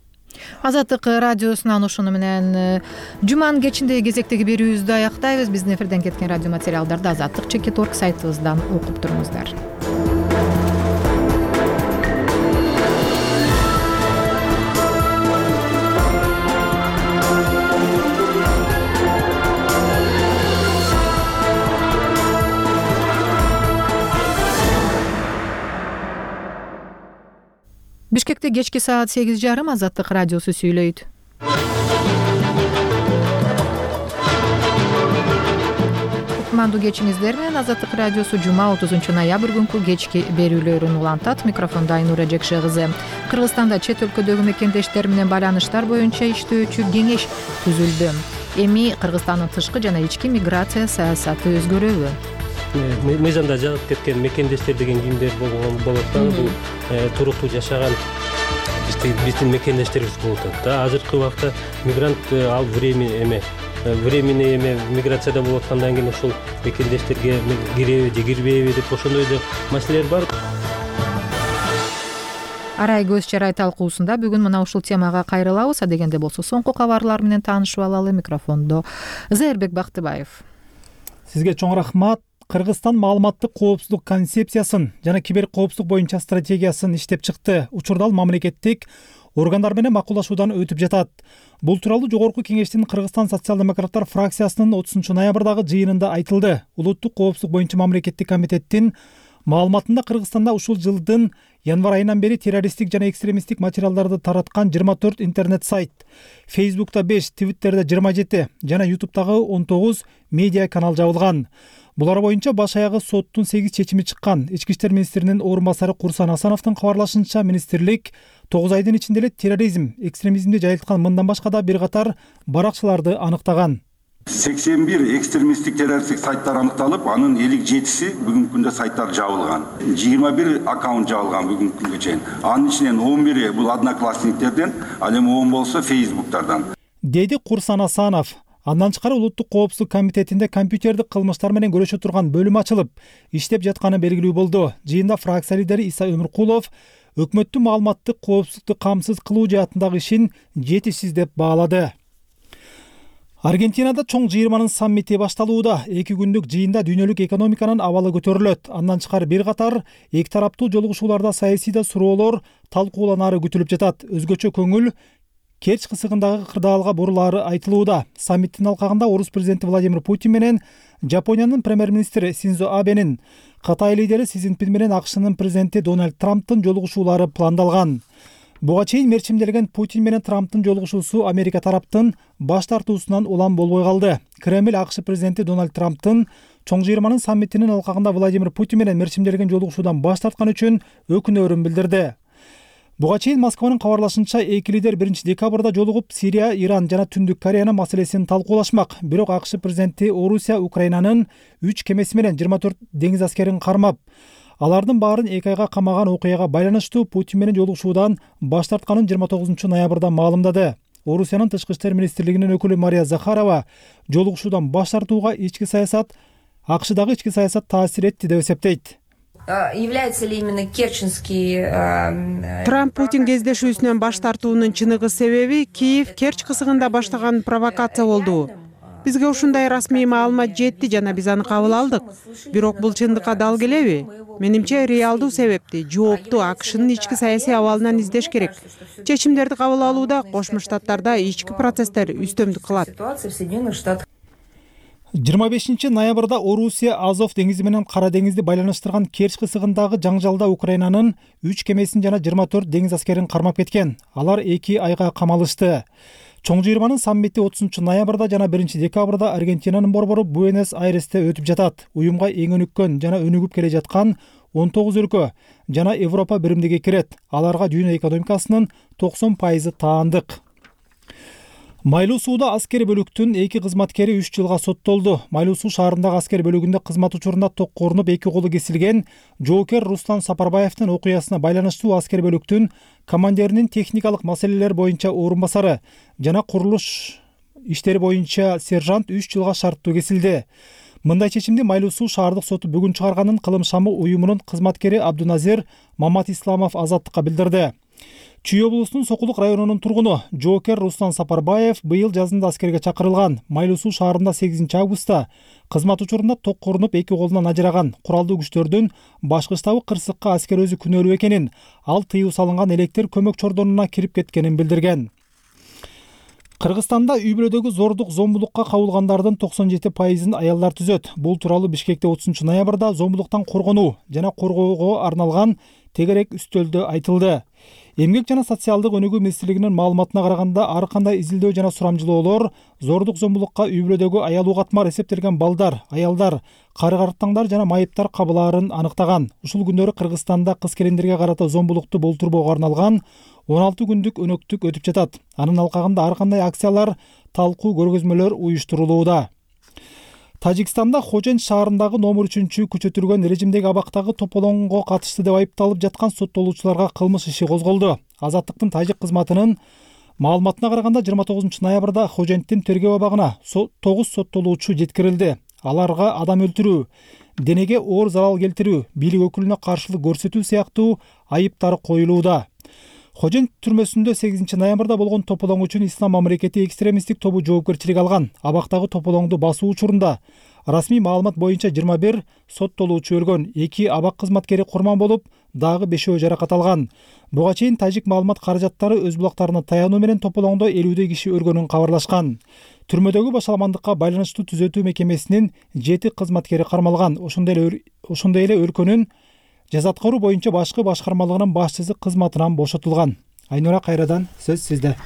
Азаттык радиосунан ушуну менен жуманын кечиндеги кезектеги берүүбүздү аяктайбыз. Биздин эфирден кеткен радио материалдарды азаттык чекит точка орг сайтыбыздан окуп туруңуздар. Бишкекте кечки саат сегиз жарым Азаттык радиосу сүйлөйт. Кутмандуу кечиңиздер менен Азаттык радиосу жума отузунчу ноябрь күнкү кечки берүүлөрүн улантат. Микрофондо Айнура Жекше кызы. Кыргызстанда чет өлкөдөгү мекендештер менен байланыштар боюнча иштөөчү кеңеш түзүлдү. Эми Кыргызстандын тышкы жана ички миграция саясаты өзгөрөбү? Мыйзамда жазып кеткен мекендештер деген кимдер болот да, бул туруктуу жашаган биздин мекендештерибиз болот да. Азыркы убакта мигрант ал времени эме временный эме миграцияда болуп аткандан кийин ошол мекендештерге киреби же кирбейби деп ошондой да маселелер бар. Арай көз чарай талкуусунда бүгүн мына ушул темага кайрылабыз. Адегенде болсо соңку кабарлар менен таанышып алалы. Микрофондо Зээрбек Бактыбаев. Сизге чоң рахмат. Кыргызстан маалыматтык коопсуздук концепциясын жана кибер коопсуздук боюнча стратегиясын иштеп чыкты. Учурда ал мамлекеттик органдар менен макулдашуудан өтүп жатат. Бул тууралуу Жогорку Кеңештин Кыргызстан социал-демократтар фракциясынын отузунчу ноябрдагы жыйынында айтылды. Улуттук коопсуздук боюнча мамлекеттик комитеттин маалыматында Кыргызстанда ушул жылдын январь айынан бери террористтик жана экстремисттик материалдарды тараткан жыйырма төрт интернет сайт, Facebook'та беш, Twitter'да жыйырма жети жана YouTube'дагы он тогуз медиа канал жабылган. Булар боюнча баш аягы соттун сегиз чечими чыккан. Ички иштер министринин орун басары Курсан Асановдун кабарлашынча, министрлик тогуз айдын ичинде эле терроризм, экстремизмди жайылткан мындан башка да бир катар баракчыларды аныктаган. сексен бир экстремисттик террористтик сайттар аныкталып, анын элүү жетиси бүгүнкү күндө сайттар жабылган. жыйырма бир аккаунт жабылган бүгүнкү күнгө чейин. Анын ичинен он бири бул одноклассниктерден, ал эми он болсо Facebook'тардан. Деди Курсан Асанов. Андан тышкары Улуттук коопсуздук комитетинде компьютердик кылмыштар менен көрөшө турган бөлүм ачылып, иштеп жатканы белгилүү болду. Жыйында фракция лидери Иса Өмүркулов өкмөттүн маалыматтык коопсуздукту камсыз кылуу жаатындагы ишин жетишсиз деп баалады. Аргентинада чоң жыйырманын саммити башталууда. Эки күндүк жыйында дүйнөлүк экономиканын абалы көтөрүлөт. Андан тышкары бир катар эки тараптуу жолугушууларда саясий да суроолор талкууланары күтүлүп жатат. Өзгөчө көңүл Керч кысыгындагы кырдаалга бурулаары айтылууда. Саммиттин алкагында орус президенти Владимир Путин менен Жапониянын премьер-министри Синдзо Абенин, Кытай лидери Си Цзиньпин менен АКШнын президенти Дональд Трамптын жолугушуулары пландалган. Буга чейин мерчимделген Путин менен Трамптын жолугушуусу Америка тараптын баш тартуусунан улам болбой калды. Кремль АКШ президенти Дональд Трамптын чоң жыйырманын саммитинин алкагында Владимир Путин менен мерчимделген жолугушуудан баш тарткан үчүн өкүнөрүн билдирди. Буга чейин Москванын кабарлашынча, эки лидер биринчи декабрда жолугуп Сирия, Иран жана Түндүк Кореянын маселесин талкуулашмак. Бирок АКШ президенти Орусия Украинанын үч кемеси менен жыйырма төрт деңиз аскерин кармап, алардын баарын эки айга камаган окуяга байланыштуу Путин менен жолугушуудан баш тартканын жыйырма тогузунчу ноябрда маалымдады. Орусиянын тышкы иштер министрлигинин өкүлү Мария Захарова жолугушуудан баш тартууга ички саясат, АКШдагы ички саясат таасир этти деп эсептейт. Является ли именно Керченский... Трамп Путин кездешүүсүнөн баш тартуунун чыныгы себеби Киев Керч кысыгында баштаган провокация болду. Бизге ушундай расмий маалымат жетти жана биз аны кабыл алдык. Бирок бул чындыкка дал келеби? Менимче реалдуу себепти, жоопту АКШнын ички саясий абалынан издеш керек. Чечимдерди кабыл алууда Кошмо Штаттарда ички процесстер үстөмдүк кылат. жыйырма бешинчи ноябрда Орусия Азов деңизи менен Кара деңизди байланыштырган Керчь кысыгындагы жаңжалда Украинанын үч кемесин жана жыйырма төрт деңиз аскерин кармап кеткен. Алар эки айга камалышты. Чоң жыйырманын саммити отузунчу ноябрда жана биринчи декабрда Аргентинанын борбору Буэнос-Айресте өтүп жатат. Уюмга эң өнүккөн жана өнүгүп келе жаткан он тогуз өлкө жана Европа биримдиги кирет. Аларга дүйнө экономикасынын токсон пайызы таандык. Майлуу сууда аскер бөлүктүн эки кызматкери үч жылга соттолду. Майлуу суу шаарындагы аскер бөлүгүндө кызмат учурунда токко урунуп эки колу кесилген жоокер Руслан Сапарбаевдин окуясына байланыштуу аскер бөлүктүн командиринин техникалык маселелер боюнча орун басары жана курулуш иштери боюнча сержант үч жылга шарттуу кесилди. Мындай чечимди Майлуу суу шаардык соту бүгүн чыгарганын Кылым шамы уюмунун кызматкери Абдуназир Маматисламов Азаттыкка билдирди. Чүй облусунун Сокулук районунун тургуну жоокер Руслан Сапарбаев быйыл жазында аскерге чакырылган. Майлуу суу шаарында сегизинчи августта кызмат учурунда токко урунуп эки колунан ажыраган. Куралдуу күчтөрдүн башкы штабы кырсыкка аскер өзү күнөөлүү экенин, ал тыюу салынган электр көмөк чордонуна кирип кеткенин билдирген. Кыргызстанда үй бүлөдөгү зордук, зомбулукка кабылгандардын токсон жети пайызын аялдар түзөт. Бул тууралуу Бишкекте отузунчу ноябрда зомбулуктан коргонуу жана коргоого арналган тегерек үстөлдө айтылды. Эмгек жана социалдык өнүгүү министрлигинин маалыматына караганда, ар кандай изилдөө жана сурамжылоолор зордук, зомбулукка үй бүлөдөгү аялуу катмар эсептелген балдар, аялдар, кары-карттаңдар жана майыптар кабылаарын аныктаган. Ушул күндөрү Кыргызстанда кыз-келиндерге карата зомбулукту болтурбоого арналган он алты күндүк өнөктүк өтүп жатат. Анын алкагында ар кандай акциялар, талкуу, көргөзмөлөр уюштурулууда. Тажикстанда Хожен шаарындагы номер үчүнчү күчөтүлгөн режимдеги абактагы тополоңго катышты деп айыпталып жаткан соттолуучуларга кылмыш иши козголду. Азаттыктын тажик кызматынын маалыматына караганда, жыйырма тогузунчу ноябрда Хоженттин тергөө абагына тогуз соттолуучу жеткирилди. Аларга адам өлтүрүү, денеге оор зарал келтирүү, бийлик өкүлүнө каршылык көрсөтүү сыяктуу айыптар коюлууда. Хожен түрмөсүндө сегизинчи ноябрда болгон тополоң үчүн Ислам мамлекети экстремисттик тобу жоопкерчилик алган. Абактагы тополоңду басуу учурунда расмий маалымат боюнча жыйырма бир соттолуучу өлгөн, эки абак кызматкери курман болуп, дагы бешөө жаракат алган. Буга чейин тажик маалымат каражаттары өз булактарына таянуу менен тополоңдо элүүдөй киши өлгөнүн кабарлашкан. Түрмөдөгү башаламандыкка байланыштуу түзөтүү мекемесинин жети кызматкери кармалган. Ошондой эле ошондой эле өлкөнүн жаза аткаруу боюнча башкы башкармалыгынын башчысы кызматынан бошотулган. Айнура, кайрадан сөз сизде.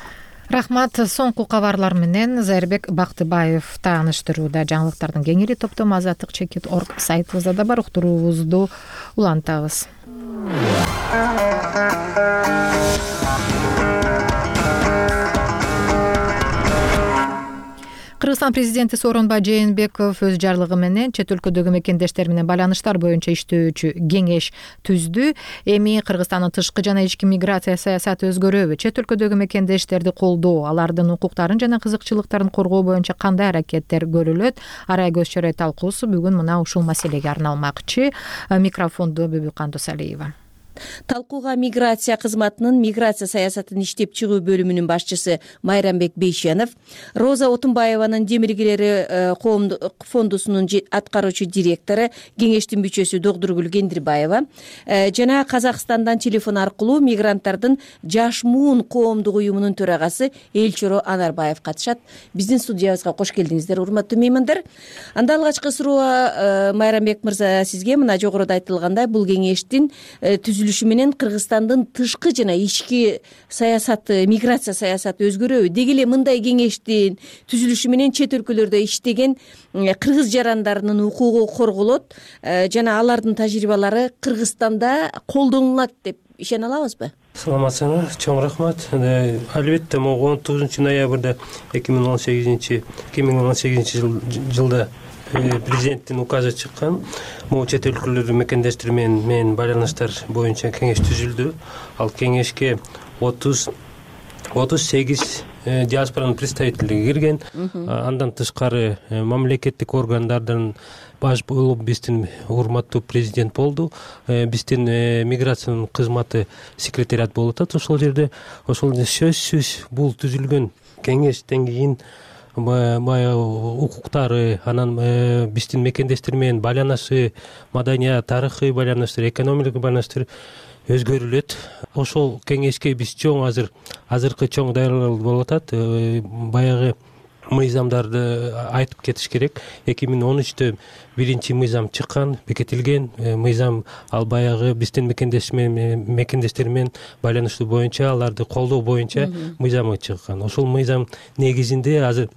Рахмат. Соңку кабарлар менен Зайырбек Бактыбаев тааныштырууда. Жаңылыктардын кеңири топтому азаттык чекит точка орг сайтыбызда да бар. Уктуруубузду улантабыз. Кыргызстан президенти Сооронбай Жээнбеков өз жарлыгы менен чет өлкөдөгү мекендештер менен байланыштар боюнча иштөөчү кеңеш түздү. Эми Кыргызстандын тышкы жана ички миграция саясаты өзгөрөбү? Чет өлкөдөгү мекендештерди колдоо, алардын укуктарын жана кызыкчылыктарын коргоо боюнча кандай аракеттер көрүлөт? Арай көз чорой талкуусу бүгүн мына ушул маселеге арналмакчы. Микрофондо Бүбүкан Досалиева. Талкууга миграция кызматынын миграция саясатын иштеп чыгуу бөлүмүнүн башчысы Майрамбек Бейшенов, Роза Отунбаеванын Демиргилери коомдук фондусунун аткаруучу директору, кеңештин мүчөсү Догдургүл Кендирбаева жана Казакстандан телефон аркылуу мигранттардын Жаш Муун коомдук уюмунун төрагасы Элчоро Анарбаев катышат. Биздин студиябызга кош келдиңиздер, урматтуу меймандар. Анда алгачкы суроо Майрамбек мырза сизге. Мына жогоруда айтылгандай, бул кеңештин түзүлүшү менен Кыргызстандын тышкы жана ички саясаты, миграция саясаты өзгөрөбү? Деги эле мындай кеңештин түзүлүшү менен чет өлкөлөрдө иштеген кыргыз жарандарынын укугу корголот жана алардын тажрыйбалары Кыргызстанда колдонулат деп ишене алабызбы? Саламатсыңар, чоң рахмат. Албетте, могу он тогузунчу ноябрда эки миң он сегизинчи жылда президенттин указы чыккан. Могу чет өлкөлөрдү мекендештер менен байланыштар боюнча кеңеш түзүлдү. Ал кеңешке отуз сегиз диаспоранын представительдиги кирген. Андан тышкары мамлекеттик органдардын баш болуп биздин урматтуу президент болду. Биздин миграциянын кызматы секретариат болуп атат ошол жерде. Ошол сөзсүз бул түзүлгөн кеңештен кийин баягы укуктары, анан биздин мекендештер менен байланышы, маданият, тарыхый байланыштар, экономикалык байланыштар өзгөрүлөт. Ошол кеңешке биз чоң азыр азыркы чоң даярдык болуп атат. Баягы мыйзамдарды айтып кетиш керек. эки миң он үчтө биринчи мыйзам чыккан, бекитилген мыйзам. Ал баягы биздин мекендештер менен байланыштуу боюнча, аларды колдоо боюнча мыйзамы чыккан. Ошол мыйзам негизинде азыр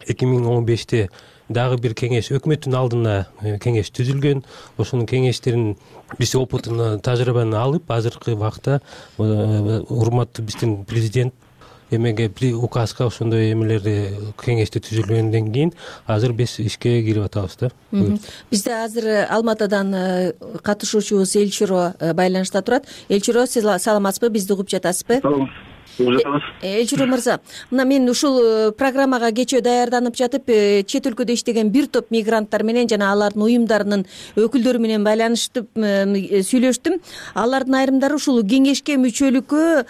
эки миң он беште дагы бир кеңеш, өкмөттүн алдына кеңеш түзүлгөн. Ошонун кеңештерин биз опытын, тажрыйбаны алып, азыркы убакта урматтуу биздин президент эмеге указга ошондой эмелерди кеңешти түзүлгөндөн кийин азыр биз ишке кирип атабыз да. Бизде азыр Алматадан катышуучубуз Элчиро байланышта турат. Элчиро, сиз саламатсызбы? Бизди угуп жатасызбы? Элчиро мырза, мына мен ушул программага кечээ даярданып жатып, чет өлкөдө иштеген бир топ мигранттар менен жана алардын уюмдарынын өкүлдөрү менен байланыштып сүйлөштүм. Алардын айрымдары ушул кеңешке мүчөлүккө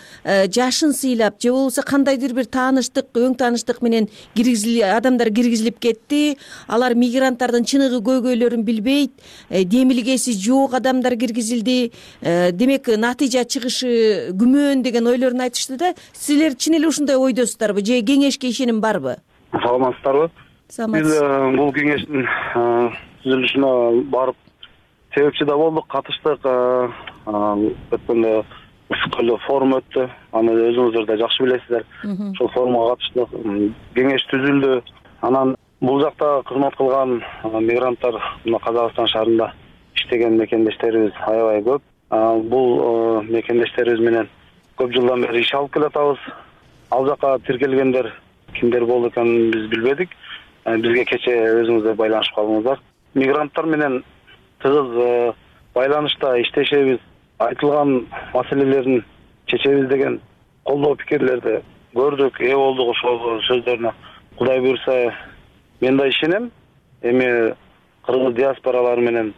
жашын сыйлап, же болбосо кандайдыр бир тааныштык, өң тааныштык менен киргизил адамдар киргизилип кетти. Алар мигранттардын чыныгы көйгөйлөрүн билбейт, демилгеси жок адамдар киргизилди. Демек, натыйжа чыгышы күмөн деген ойлорун айтышты да. Силер чын эле ушундай ойдосуздарбы же кеңешке ишеним барбы? Саламатсыздарбы? Саламатсыз. Биз бул кеңештин түзүлүшүнө барып себепчи да болдук, катыштык. Өткөндө Ысыккөлдө форум өттү. Аны өзүңүздөр да жакшы билесиздер. Ошол форумга катыштык. Кеңеш түзүлдү. Анан бул жакта кызмат кылган мигранттар мына Казакстан шаарында иштеген мекендештерибиз аябай көп. Бул мекендештерибиз менен көп жылдан бери иш алып келатабыз. Ал жака тиркелгендер кимдер болду экенин биз билбедик. Бизге кечээ өзүңүздөр байланышып калдыңыздар. Мигранттар менен тыгыз байланышта иштешебиз, айтылган маселелерин чечебиз деген колдоо пикирлерди көрдүк, ээ болдук ошол сөздөрүнө. Кудай буйрса, мен да ишенем. Эми кыргыз диаспоралары менен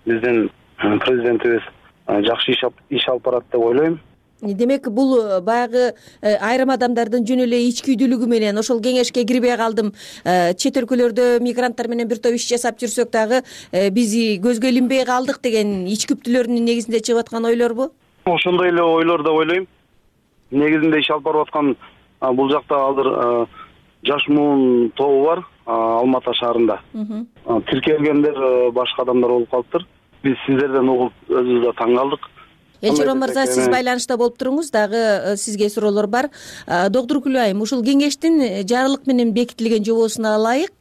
биздин президентибиз жакшы иш алып барат деп ойлойм. Демек, бул баягы айрым адамдардын жөн эле ичкүйдүүлүгү менен ошол кеңешке кирбей калдым. Чет өлкөлөрдө мигранттар менен бир топ иш жасап жүрсөк дагы биз көзгө илинбей калдык деген ичкүптүүлөрүнүн негизинде чыгып аткан ойлорбу? Ошондой эле ойлор деп ойлойм. Негизинде иш алып барып аткан бул жакта азыр жаш муун тобу бар Алмата шаарында. Тиркелгендер башка адамдар болуп калыптыр. Биз сиздерден угуп өзүбүз да таң калдык. Элчиро мырза, сиз байланышта болуп туруңуз, дагы сизге суроолор бар. Доктур Күлү айым, ушул кеңештин жарлык менен бекитилген жобосуна ылайык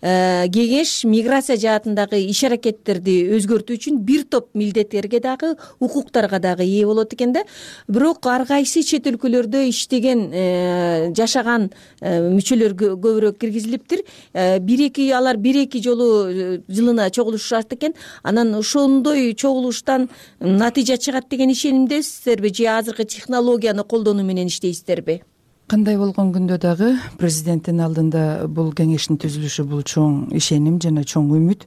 кеңеш миграция жаатындагы иш аракеттерди өзгөртүү үчүн бир топ милдеттерге дагы, укуктарга дагы ээ болот экен да. Бирок ар кайсы чет өлкөлөрдө иштеген, жашаган мүчөлөр көбүрөөк киргизилиптир. Бир-эки алар бир-эки жолу жылына чогулушат экен. Анан ошондой чогулуштан натыйжа чыгат деген ишенимдесиздерби же азыркы технологияны колдонуу менен иштейсиздерби? Кандай болгон күндө дагы президенттин алдында бул кеңештин түзүлүшү бул чоң ишеним жана чоң үмүт.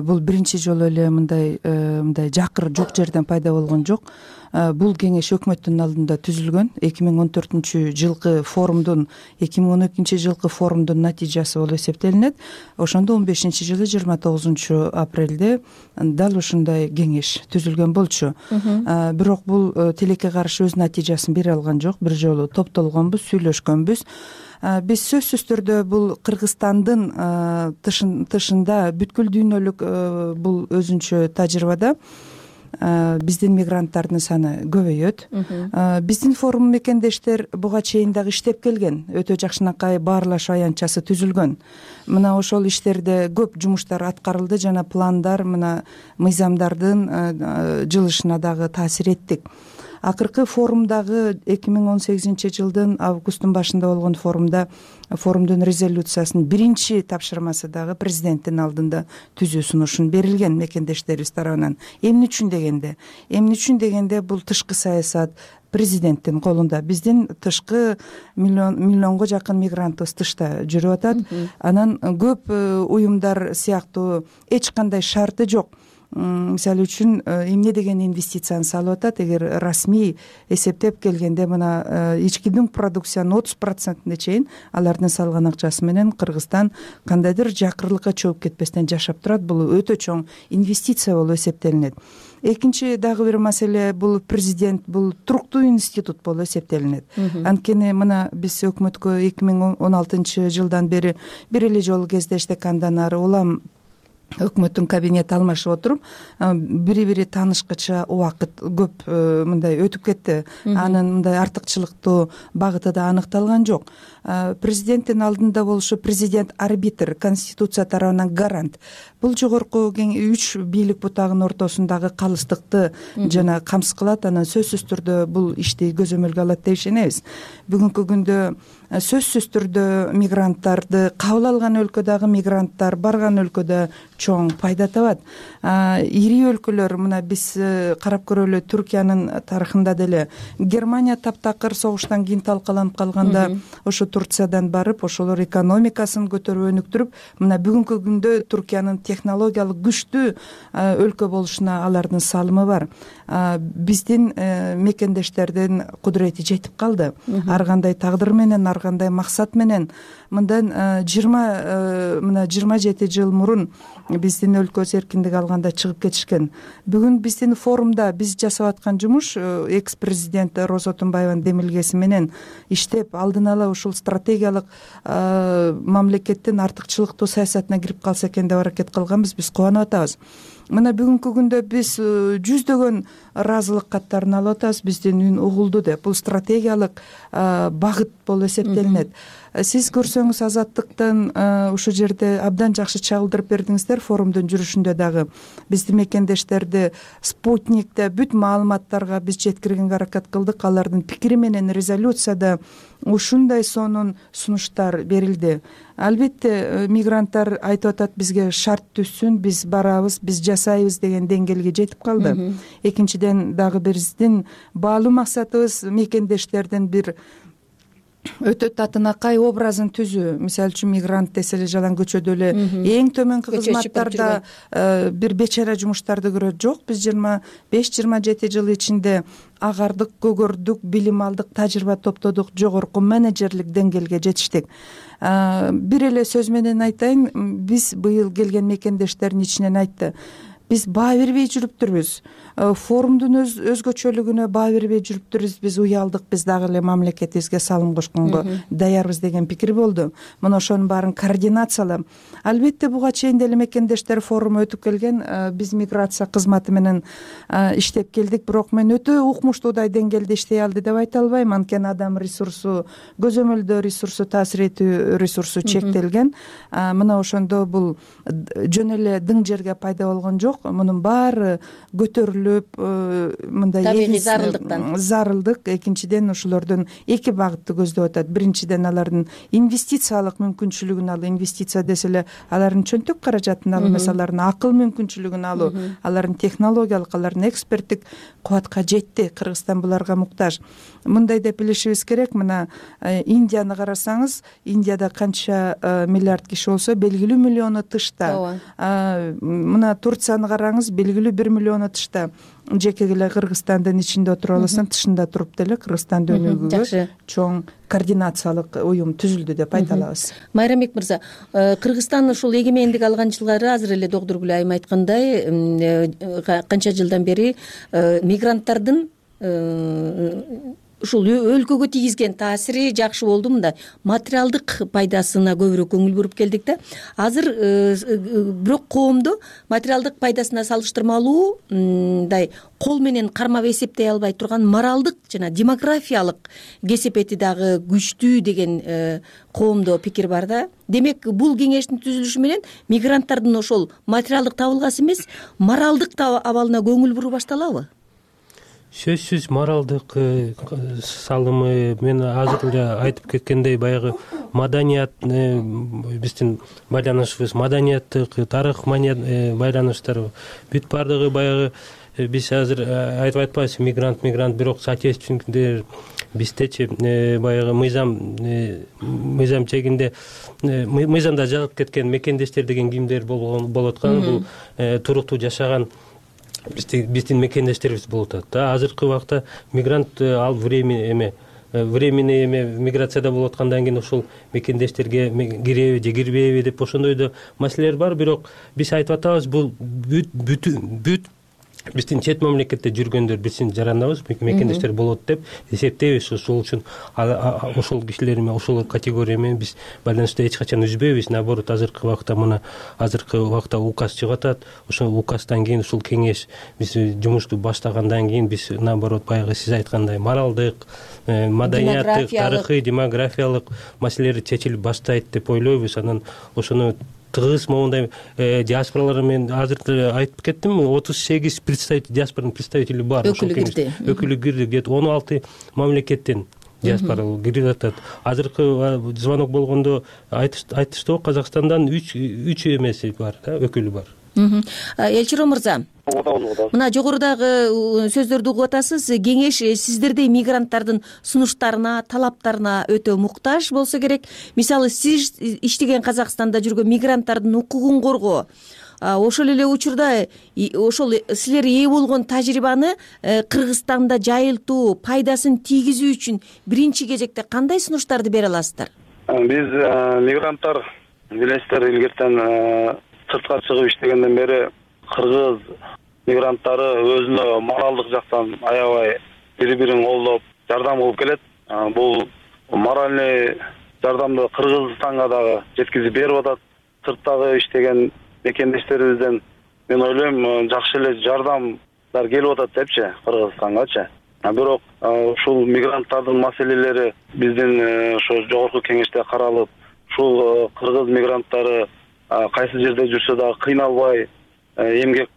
Бул биринчи жолу эле мындай мындай жакыр жок жерден пайда болгон жок. Бул кеңеш өкмөттүн алдында түзүлгөн. эки миң он төртүнчү жылкы форумдун, эки миң он экинчи жылкы форумдун натыйжасы болуп эсептелинет. Ошондо он бешинчи жылы жыйырма тогузунчу апрелде дал ушундай кеңеш түзүлгөн болчу. Бирок бул тилекке каршы өз натыйжасын бере алган жок. Бир жолу топтолгонбуз, сүйлөшкөнбүз. Биз сөзсүз түрдө бул Кыргызстандын тышында бүткүл дүйнөлүк бул өзүнчө тажрыйбада биздин мигранттардын саны көбөйөт. Биздин форум мекендештер буга чейин дагы иштеп келген. Өтө жакшынакай баарлашуу аянтчасы түзүлгөн. Мына ошол иштерде көп жумуштар аткарылды жана пландар мына мыйзамдардын жылышына дагы таасир эттик. Акыркы форумдагы эки миң он сегизинчи жылдын августтун башында болгон форумда форумдун резолюциясынын биринчи тапшырмасы дагы президенттин алдында түзүү сунушун берилген мекендештерибиз тарабынан. Эмне үчүн дегенде, эмне үчүн дегенде бул тышкы саясат президенттин колунда. Биздин тышкы миллион миллионго жакын мигрантыбыз тышта жүрүп атат. Анан көп уюмдар сыяктуу эч кандай шарты жок. мисалы үчүн эмне деген инвестицияны салып атат. Эгер расмий эсептеп келгенде мына ички дүң продукциянын отуз процентине чейин алардын салган акчасы менен Кыргызстан кандайдыр жакырлыкка чөгүп кетпестен жашап турат. Бул өтө чоң инвестиция болуп эсептелинет. Экинчи дагы бир маселе, бул президент бул туруктуу институт болуп эсептелинет. Анткени мына биз өкмөткө эки миң он алтынчы жылдан бери бир эле жолу кездештик. Андан ары улам өкмөттүн кабинети алмашып отуруп, бири бири таанышкыча убакыт көп мындай өтүп кетти. Анын мындай артыкчылыктуу багыты да аныкталган жок. Президенттин алдында болушу президент арбитр, конституция тарабынан гарант. Бул жогорку үч бийлик бутагынын ортосундагы калыстыкты жана камсыз кылат. Анан сөзсүз түрдө бул ишти көзөмөлгө алат деп ишенебиз. Бүгүнкү күндө сөзсүз түрдө мигранттарды кабыл алган өлкөдөгү мигранттар барган өлкөдө чоң пайда табат. Ири өлкөлөр, мына биз карап көрөлү, Түркиянын тарыхында деле Германия таптакыр согуштан кийин талкаланып калганда ошо Турциядан барып, ошолор экономикасын көтөрүп өнүктүрүп, мына бүгүнкү күндө Түркиянын технологиялык күчтүү өлкө болушуна алардын салымы бар. Биздин мекендештердин кудурети жетип калды. Ар кандай тагдыр менен, ар кандай максат менен. Мындан жыйырма мына жыйырма жети жыл мурун биздин өлкөбүз эркиндик алганда чыгып кетишкен. Бүгүн биздин форумда биз жасап аткан жумуш экс президент Роза Отунбаеванын демилгеси менен иштеп, алдын ала ушул стратегиялык мамлекеттин артыкчылыктуу саясатына кирип калса экен деп аракет кылганбыз. Биз кубанып атабыз. Мына бүгүнкү күндө биз жүздөгөн ыраазылык каттарын алып атабыз. Биздин үн угулду деп. Бул стратегиялык багыт болуп эсептелинет. Сиз көрсөңүз Азаттыктан ушул жерде абдан жакшы чагылдырып бердиңиздер. Форумдун жүрүшүндө дагы биздин мекендештерди спутникте бүт маалыматтарга биз жеткиргенге аракет кылдык. Алардын пикири менен резолюцияда ушундай сонун сунуштар берилди. Албетте мигранттар айтып атат, бизге шарт түзсүн, биз барабыз, биз жасайбыз деген деңгээлге жетип калды. Экинчиден дагы биздин баалуу максатыбыз мекендештердин бир өтө татынакай образын түзүү. Мисалы үчүн мигрант десе эле жалаң көчөдө эле эң төмөнкү кызматтарда бир бечара жумуштарды көрөт. Жок, биз жыйырма беш жыйырма жети жыл ичинде агардык, көгөрдүк, билим алдык, тажрыйба топтодук, жогорку менеджерлик деңгээлге жетиштик. Бир эле сөз менен айтайын, биз быйыл келген мекендештердин ичинен айтты, биз баа бербей жүрүптүрбүз. Форумдун өз өзгөчөлүгүнө баа бербей жүрүптүрбүз. Биз уялдык, биз дагы эле мамлекетибизге салым кошконго даярбыз деген пикир болду. Мына ошонун баарын координациялап, албетте буга чейин деле мекендештер форуму өтүп келген. Биз миграция кызматы менен иштеп келдик, бирок мен өтө укмуштуудай деңгээлде иштей алды деп айта албайм. Анткени адам ресурсу, көзөмөлдөө ресурсу, таасир этүү ресурсу чектелген. Мына ошондо бул жөн эле дың жерге пайда болгон жок. Мунун баары көтөрүлүп, мындай табигый зарылдыктан зарылдык. Экинчиден ошолордун эки багытты көздөп атат. Биринчиден алардын инвестициялык мүмкүнчүлүгүн алуу. Инвестиция десе эле алардын чөнтөк каражатын алуу эмес, алардын акыл мүмкүнчүлүгүн алуу, алардын технологиялык, алардын эксперттик кубатка жетти. Кыргызстан буларга муктаж. Мындай деп билишибиз керек. Мына Индияны карасаңыз, Индияда канча миллиард киши болсо, белгилүү миллиону тышта. Мына Турцияны караңыз, белгилүү бир миллиону тышта. Жеке эле Кыргызстандын ичинде отуруп аласың, тышында туруп деле Кыргызстанды өнүгүүгө чоң координациялык уюм түзүлдү деп айта алабыз. Майрамбек мырза, Кыргызстан ушул эгемендик алган жылдары азыр эле Догдургүл айым айткандай канча жылдан бери мигранттардын ушул өлкөгө тийгизген таасири жакшы болду. Мындай материалдык пайдасына көбүрөөк көңүл буруп келдик да. Азыр бирок коомду материалдык пайдасына салыштырмалуу мындай кол менен кармап эсептей албай турган моралдык жана демографиялык кесепети дагы күчтүү деген коомдо пикир бар да. Демек, бул кеңештин түзүлүшү менен мигранттардын ошол материалдык табылгасы эмес, моралдык абалына көңүл буруу башталабы? Сөзсүз моралдык салымы, мен азыр эле айтып кеткендей, баягы маданият, биздин байланышыбыз маданияттык, тарых байланыштар бүт бардыгы баягы биз азыр айтып атпайбыз мигрант мигрант бирок соотечественниктер биздечи баягы мыйзам мыйзам чегинде мыйзамда жазылып кеткен мекендештер деген кимдер болуп аткан, бул туруктуу жашаган биздин мекендештерибиз болуп атат да. Азыркы убакта мигрант ал времени эме временный эме миграцияда болуп аткандан кийин ошол мекендештерге киреби же кирбейби деп ошондой да маселелер бар. Бирок биз айтып атабыз, бул бүт бүт биздин чет мамлекетте жүргөндөр биздин жарандабыз, мекендештер болот деп эсептейбиз. Ошол үчүн ошол кишилер менен, ошол категория менен биз байланышты эч качан үзбөйбүз. Наоборот, азыркы убакта мына азыркы убакта указ чыгып атат. Ошол указдан кийин ушул кеңеш биз жумушту баштагандан кийин биз наоборот баягы сиз айткандай моралдык, маданияттык, тарыхый, демографиялык маселелер чечилип баштайт деп ойлойбуз. Анан ошону тыгыз моундай диаспоралар менен азыр айтып кеттим, отуз сегиз представитель диаспоранын представители бар. Өкүлү кирди. Өкүлү кирди. Где-то он алты мамлекеттен диаспора кирип атат. Азыркы звонок болгондо айтышты, Казакстандан үч үч эмеси бар, өкүлү бар. Элчир мырза, мына жогорудагы сөздөрдү угуп атасыз. Кеңеш сиздердей мигранттардын сунуштарына, талаптарына өтө муктаж болсо керек. Мисалы, сиз иштеген Казакстанда жүргөн мигранттардын укугун коргоо, ошол эле учурда ошол силер ээ болгон тажрыйбаны Кыргызстанда жайылтуу, пайдасын тийгизүү үчүн биринчи кезекте кандай сунуштарды бере аласыздар? Биз мигранттар билесиздер, илгертен сыртка чыгып иштегенден бери кыргыз мигранттары өзүнө моралдык жактан аябай бири-бирин колдоп, жардам кылып келет. Бул моральный жардамды Кыргызстанга дагы жеткизип берип атат. Сырттагы иштеген мекендештерибизден мен ойлойм жакшы эле жардамдар келип атат депчи Кыргызстангачы. Бирок ушул мигранттардын маселелери биздин ошо жогорку кеңеште каралып, ушул кыргыз мигранттары кайсы жерде жүрсө дагы кыйналбай эмгек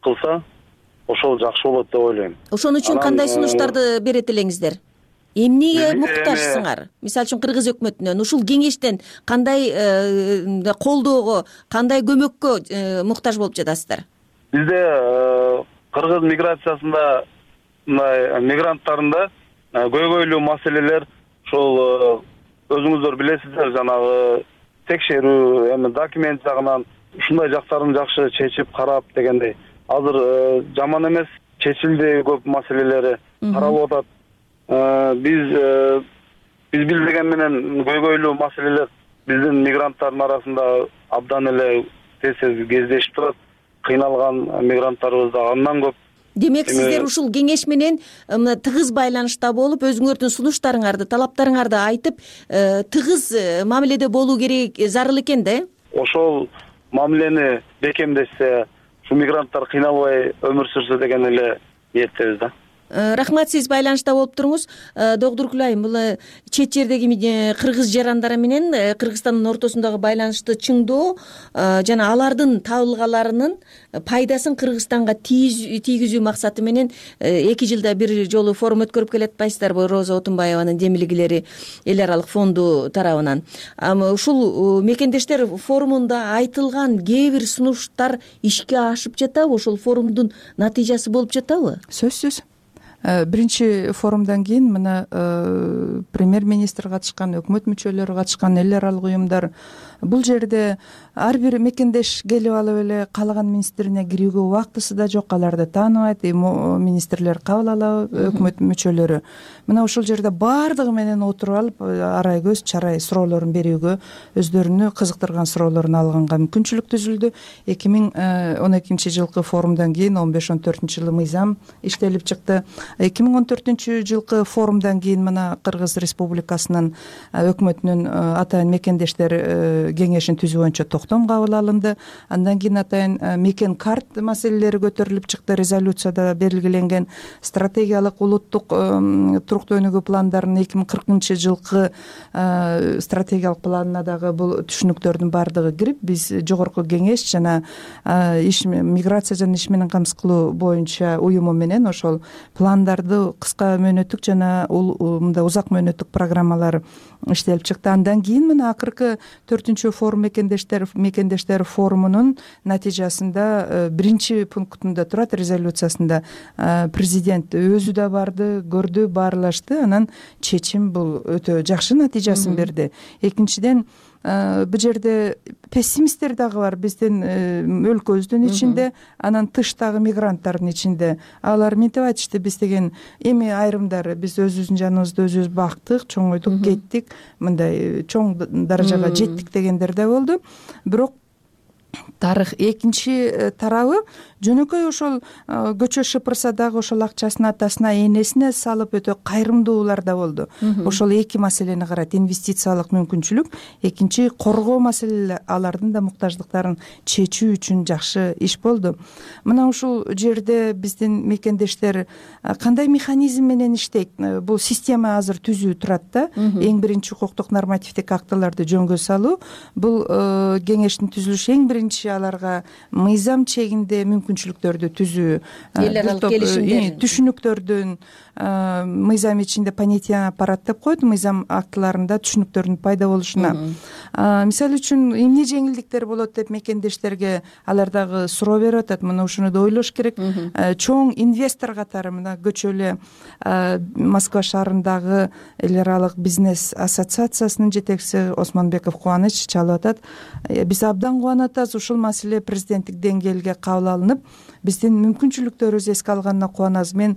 кылса, ошол жакшы болот деп ойлойм. Ошон үчүн кандай сунуштарды берет элеңиздер? Эмнеге муктажсыңар? Мисалы үчүн Кыргыз өкмөтүнөн, ушул кеңештен кандай колдоого, кандай көмөккө муктаж болуп жатасыздар? Бизде кыргыз миграциясында, мындай мигранттарында көйгөйлүү маселелер, ошол өзүңүздөр билесиздер, жанагы текшерүү, эми документ жагынан ушундай жактарын жакшы чечип карап дегендей. Азыр жаман эмес, чечилди көп маселелери каралып атат. Биз биз билдеген менен көйгөйлүү маселелер биздин мигранттардын арасында абдан эле тез-тез кездешип турат. Кыйналган мигранттарыбыз да андан көп. Демек, сиздер ушул кеңеш менен тыгыз байланышта болуп, өзүңөрдүн сунуштарыңарды, талаптарыңарды айтып, тыгыз мамиледе болуу керек, зарыл экен да? Ошол мамилени бекемдешсе, ушу мигранттар кыйналбай өмүр сүрсө деген эле ниеттебиз да. Рахмат, сиз байланышта болуп туруңуз. Доктур Кулай, бул чет жердеги кыргыз жарандары менен Кыргызстандын ортосундагы байланышты чыңдоо жана алардын табылгаларынын пайдасын Кыргызстанга тийгизүү максаты менен эки жылда бир жолу форум өткөрүп келе атпайсыздарбы? Роза Отунбаеванын демилгилери эл аралык фонду тарабынан. Ушул мекендештер форумунда айтылган кээ бир сунуштар ишке ашып жатабы? Ошол форумдун натыйжасы болуп жатабы? Сөзсүз. Биринчи форумдан кийин мына премьер-министр катышкан, өкмөт мүчөлөрү катышкан, эл аралык уюмдар, бул жерде ар бир мекендеш келип алып эле каалаган министрине кирүүгө убактысы да жок, аларды тааныбайт, министрлер кабыл алабы, өкмөт мүчөлөрү. Мына ушул жерде баардыгы менен отуруп алып, арай көз чарай суроолорун берүүгө, өздөрүнү кызыктырган суроолорун алганга мүмкүнчүлүк түзүлдү. эки миң он экинчи жылкы форумдан кийин он беш он төртүнчү жылы мыйзам иштелип чыкты. эки миң он төртүнчү жылкы форумдан кийин мына Кыргыз Республикасынын өкмөтүнүн атайын мекендештер кеңешин түзүү боюнча токтом кабыл алынды. Андан кийин атайын мекен карт маселелери көтөрүлүп чыкты. Резолюцияда белгиленген стратегиялык улуттук туруктуу өнүгүү пландарынын эки миң кыркынчы жылкы стратегиялык планына дагы бул түшүнүктөрдүн баардыгы кирип, биз жогорку кеңеш жана иш миграция жана иш менен камсыз кылуу боюнча уюму менен ошол план пландарды кыска мөөнөттүк жана мындай узак мөөнөттүк программалар иштелип чыкты. Андан кийин мына акыркы төртүнчү форум мекендештер мекендештер форумунун натыйжасында биринчи пунктунда турат резолюциясында президент өзү да барды, көрдү, баарлашты. Анан чечим бул өтө жакшы натыйжасын берди. Экинчиден бул жерде пессимисттер дагы бар биздин өлкөбүздүн ичинде, анан тыштагы мигранттардын ичинде. Алар мынтип айтышты, биз деген эми айрымдары биз өзүбүздүн жаныбызды өзүбүз бактык, чоңойдук, кеттик, мындай чоң даражага жеттик дегендер да болду. Бирок тарых экинчи тарабы жөнөкөй ошол көчө шыпырса дагы ошол акчасын атасына, энесине салып өтө кайрымдуулар да болду. Ошол эки маселени карайт: инвестициялык мүмкүнчүлүк, экинчи коргоо маселелери, алардын да муктаждыктарын чечүү үчүн жакшы иш болду. Мына ушул жерде биздин мекендештер кандай механизм менен иштейт? Бул система азыр түзүү турат да. Эң биринчи укуктук нормативдик актыларды жөнгө салуу. Бул кеңештин түзүлүшү эң биринчи аларга мыйзам чегинде мүмкүнчүлүктөрдү түзүү, эл аралык келишимдер, түшүнүктөрдүн мыйзам ичинде понятие аппарат деп коет, мыйзам актыларында түшүнүктөрдүн пайда болушуна. Мисалы үчүн эмне жеңилдиктер болот деп мекендештерге алар дагы суроо берип атат. Мына ушуну да ойлош керек. Чоң инвестор катары мына көчө эле Москва шаарындагы эл аралык бизнес ассоциациясынын жетекчиси Осмонбеков Кубаныч чалып атат. Биз абдан кубанып атабыз, ушул маселе президенттик деңгээлге кабыл алынып, биздин мүмкүнчүлүктөрүбүз эске алганына кубанабыз. Мен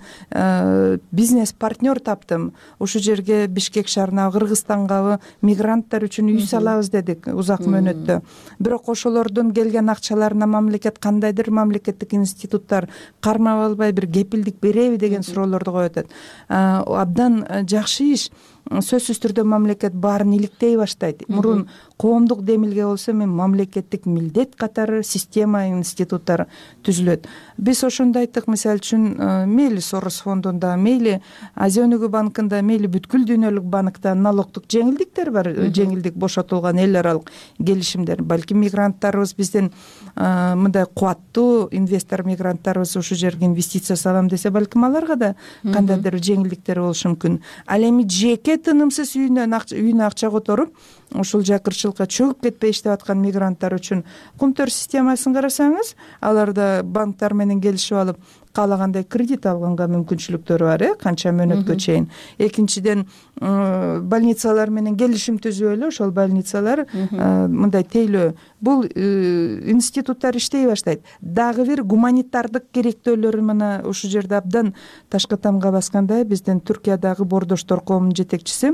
бизнес партнер таптым. Ушул жерге Бишкек шаарына, Кыргызстангабы мигранттар үчүн үй салабыз дедик узак мөөнөттө. Бирок ошолордун келген акчаларына мамлекет кандайдыр мамлекеттик институттар кармап албай бир кепилдик береби деген суроолорду коюп атат. Абдан жакшы иш. Сөзсүз түрдө мамлекет баарын иликтей баштайт. Мурун коомдук демилге болсо, эми мамлекеттик милдет катары система, институттар түзүлөт. Биз ошондо айттык, мисалы үчүн мейли Сорос фондунда, мейли Азия өнүгүү банкында, мейли бүткүл дүйнөлүк банкта налогдук жеңилдиктер бар, жеңилдик бошотулган эл аралык келишимдер. Балким мигранттарыбыз, биздин мындай кубаттуу инвестор мигранттарыбыз ушул жерге инвестиция салам десе, балким аларга да кандайдыр жеңилдиктер болушу мүмкүн. Ал эми жеке тынымсыз үйүнө акча которуп, ушул жакырчылыкка чөгүп кетпей иштеп аткан мигранттар үчүн кумтөр системасын карасаңыз, аларда банктар менен келишип алып каалагандай кредит алганга мүмкүнчүлүктөрү бар, э, канча мөөнөткө чейин. Экинчиден, больницалар менен келишим түзүп эле ошол больницалар мындай тейлөө, бул институттар иштей баштайт. Дагы бир гуманитардык керектөөлөрү мына ушул жерде абдан ташкы тамга баскандай, биздин Түркиядагы Бордоштор коомунун жетекчиси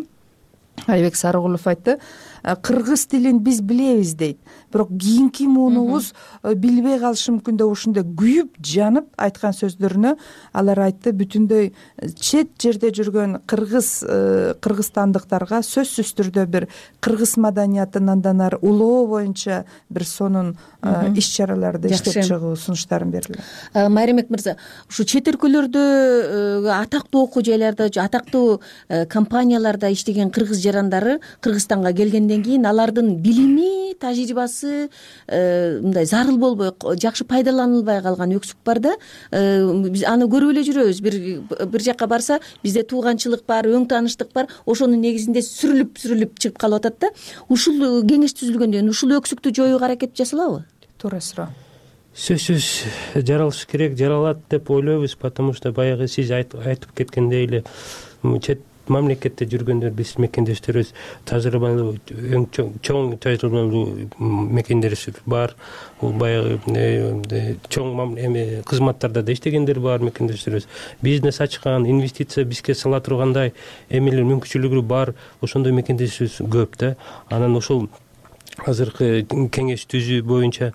Айбек Сарыгулов айтты, кыргыз тилин биз билебиз дейт. Бирок кийинки муунубуз билбей калышы мүмкүн деп ушундай күйүп, жанып айткан сөздөрүнө алар айтты, бүтүндөй чет жерде жүргөн кыргыз кыргызстандыктарга сөзсүз түрдө бир кыргыз маданиятын андан ары улоо боюнча бир сонун иш чараларды иштеп чыгуу сунуштарын берди. Майрамбек мырза, ушу чет өлкөлөрдө атактуу окуу жайларда, атактуу компанияларда иштеген кыргыз жарандары Кыргызстанга келгенден кийин алардын билими, тажрыйбасы мындай зарыл болбой, жакшы пайдаланылбай калган өксүк бар да. Биз аны көрүп эле жүрөбүз. Бир бир жакка барса, бизде тууганчылык бар, өң тааныштык бар. Ошонун негизинде сүрүлүп сүрүлүп чыгып калып атат да. Ушул кеңеш түзүлгөндөн ушул өксүктү жоюуга аракет жасалабы? Туура суроо. Сөзсүз жаралыш керек, жаралат деп ойлойбуз, потому что баягы сиз айтып кеткендей эле чет мамлекетте жүргөндөр биз мекендештерибиз тажрыйбалуу, эң чоң тажрыйбалуу мекендештер бар. Бул баягы чоң эми кызматтарда да иштегендер бар мекендештерибиз. Бизнес ачкан, инвестиция бизге сала тургандай эмелер мүмкүнчүлүгү бар. Ошондой мекендештерибиз көп да. Анан ошол азыркы кеңеш түзүү боюнча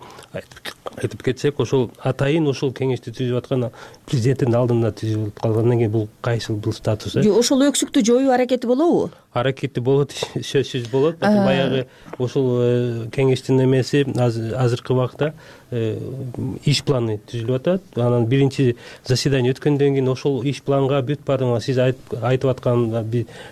айтып кетсек, ошол атайын ошол кеңешти түзүп аткан президенттин алдында түзүлүп калгандан кийин бул кайсыл бул статус? Ошол өксүктү жоюу аракети болобу? Аракети болот, сөзсүз болот. Баягы ошол кеңештин эмеси азыркы убакта иш планы түзүлүп атат. Анан биринчи заседание өткөндөн кийин ошол иш планга бүт баардыгы сиз айтып аткан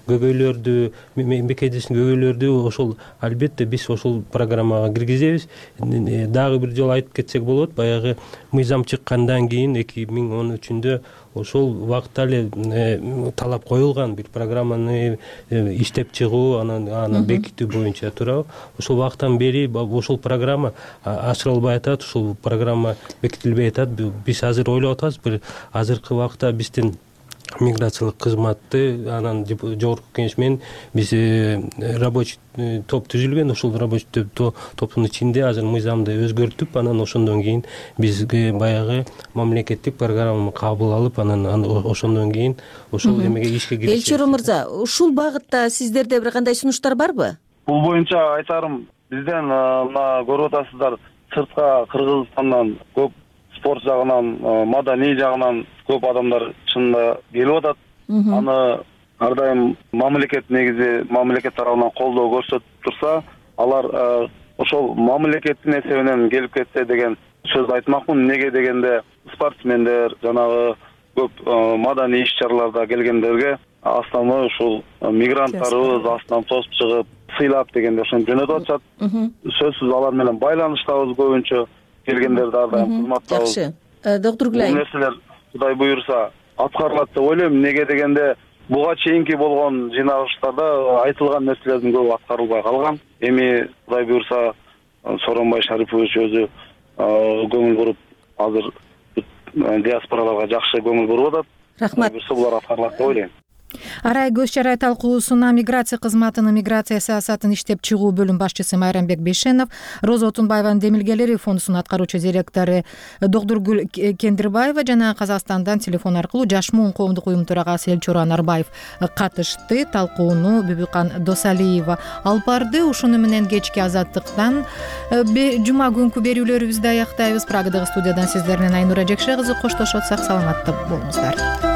көйгөйлөрдү, мекендештин көйгөйлөрдү ошол албетте биз ошол программага киргизебиз. Дагы бир жолу айтып кетсек болот, баягы мыйзам чыккандан кийин эки миң он үчүндө ошол убакытта эле талап коюлган бир программаны иштеп чыгуу, анан аны бекитүү боюнча туурабы. Ошол убакыттан бери ошол программа ачырылбай атат, ушул программа бекитилбей атат. Биз азыр ойлоп атабыз, бир азыркы убакытта биздин миграциялык кызматты анан жогорку кеңеш менен биз рабочий топ түзүлгөн. Ошол рабочий топтун ичинде азыр мыйзамды өзгөртүп, анан ошондон кийин бизге баягы мамлекеттик программаны кабыл алып, анан ошондон кийин ошол эмеге ишке киришет. Элчурун мырза, ушул багытта сиздерде бир кандай сунуштар барбы? Бул боюнча айтарым, бизден мына көрүп атасыздар, сыртка Кыргызстандан көп спорт жагынан, маданий жагынан көп адамдар чынында келип атат. Аны ар дайым мамлекет негизи мамлекет тарабынан колдоо көрсөтүп турса, алар ошол мамлекеттин эсебинен келип кетсе деген сөз айтмакмын. Неге дегенде спортсмендер, жанагы көп маданий иш-чараларда келгендерге основной ушул мигранттарыбыз астынан тосуп чыгып, сыйлап дегенде ошентип жөнөтүп атышат. Сөзсүз алар менен байланыштабыз көбүнчө. Келгендерди ар дайым кызматтабыз. Жакшы. Доктор Гүлай. Бул нерселер Кудай буйрса аткарылат деп ойлойм. Неге дегенде буга чейинки болгон жыйналыштарда айтылган нерселердин көбү аткарылбай калган. Эми Кудай буйрса Сооронбай Шарипович өзү көңүл буруп, азыр диаспораларга жакшы көңүл буруп атат. Рахмат. Булар аткарылат деп ойлойм. Арай көз чарай талкуусуна миграция кызматынын миграция саясатын иштеп чыгуу бөлүм башчысы Майрамбек Бейшенов, Роза Отунбаеванын демилгелери фондусунун аткаруучу директору Докторгүл Кендирбаева жана Казакстандан телефон аркылуу Жашмуун коомдук уюм төрагасы Элчура Нарбаев катышты. Талкууну Бүбүкан Досалиева алып барды. Ушуну менен кечки Азаттыктан жума күнкү берүүлөрүбүздү аяктайбыз. Прагадагы студиядан сиздер менен Айнура Жекше кызы коштошот. Сак саламатта болуңуздар.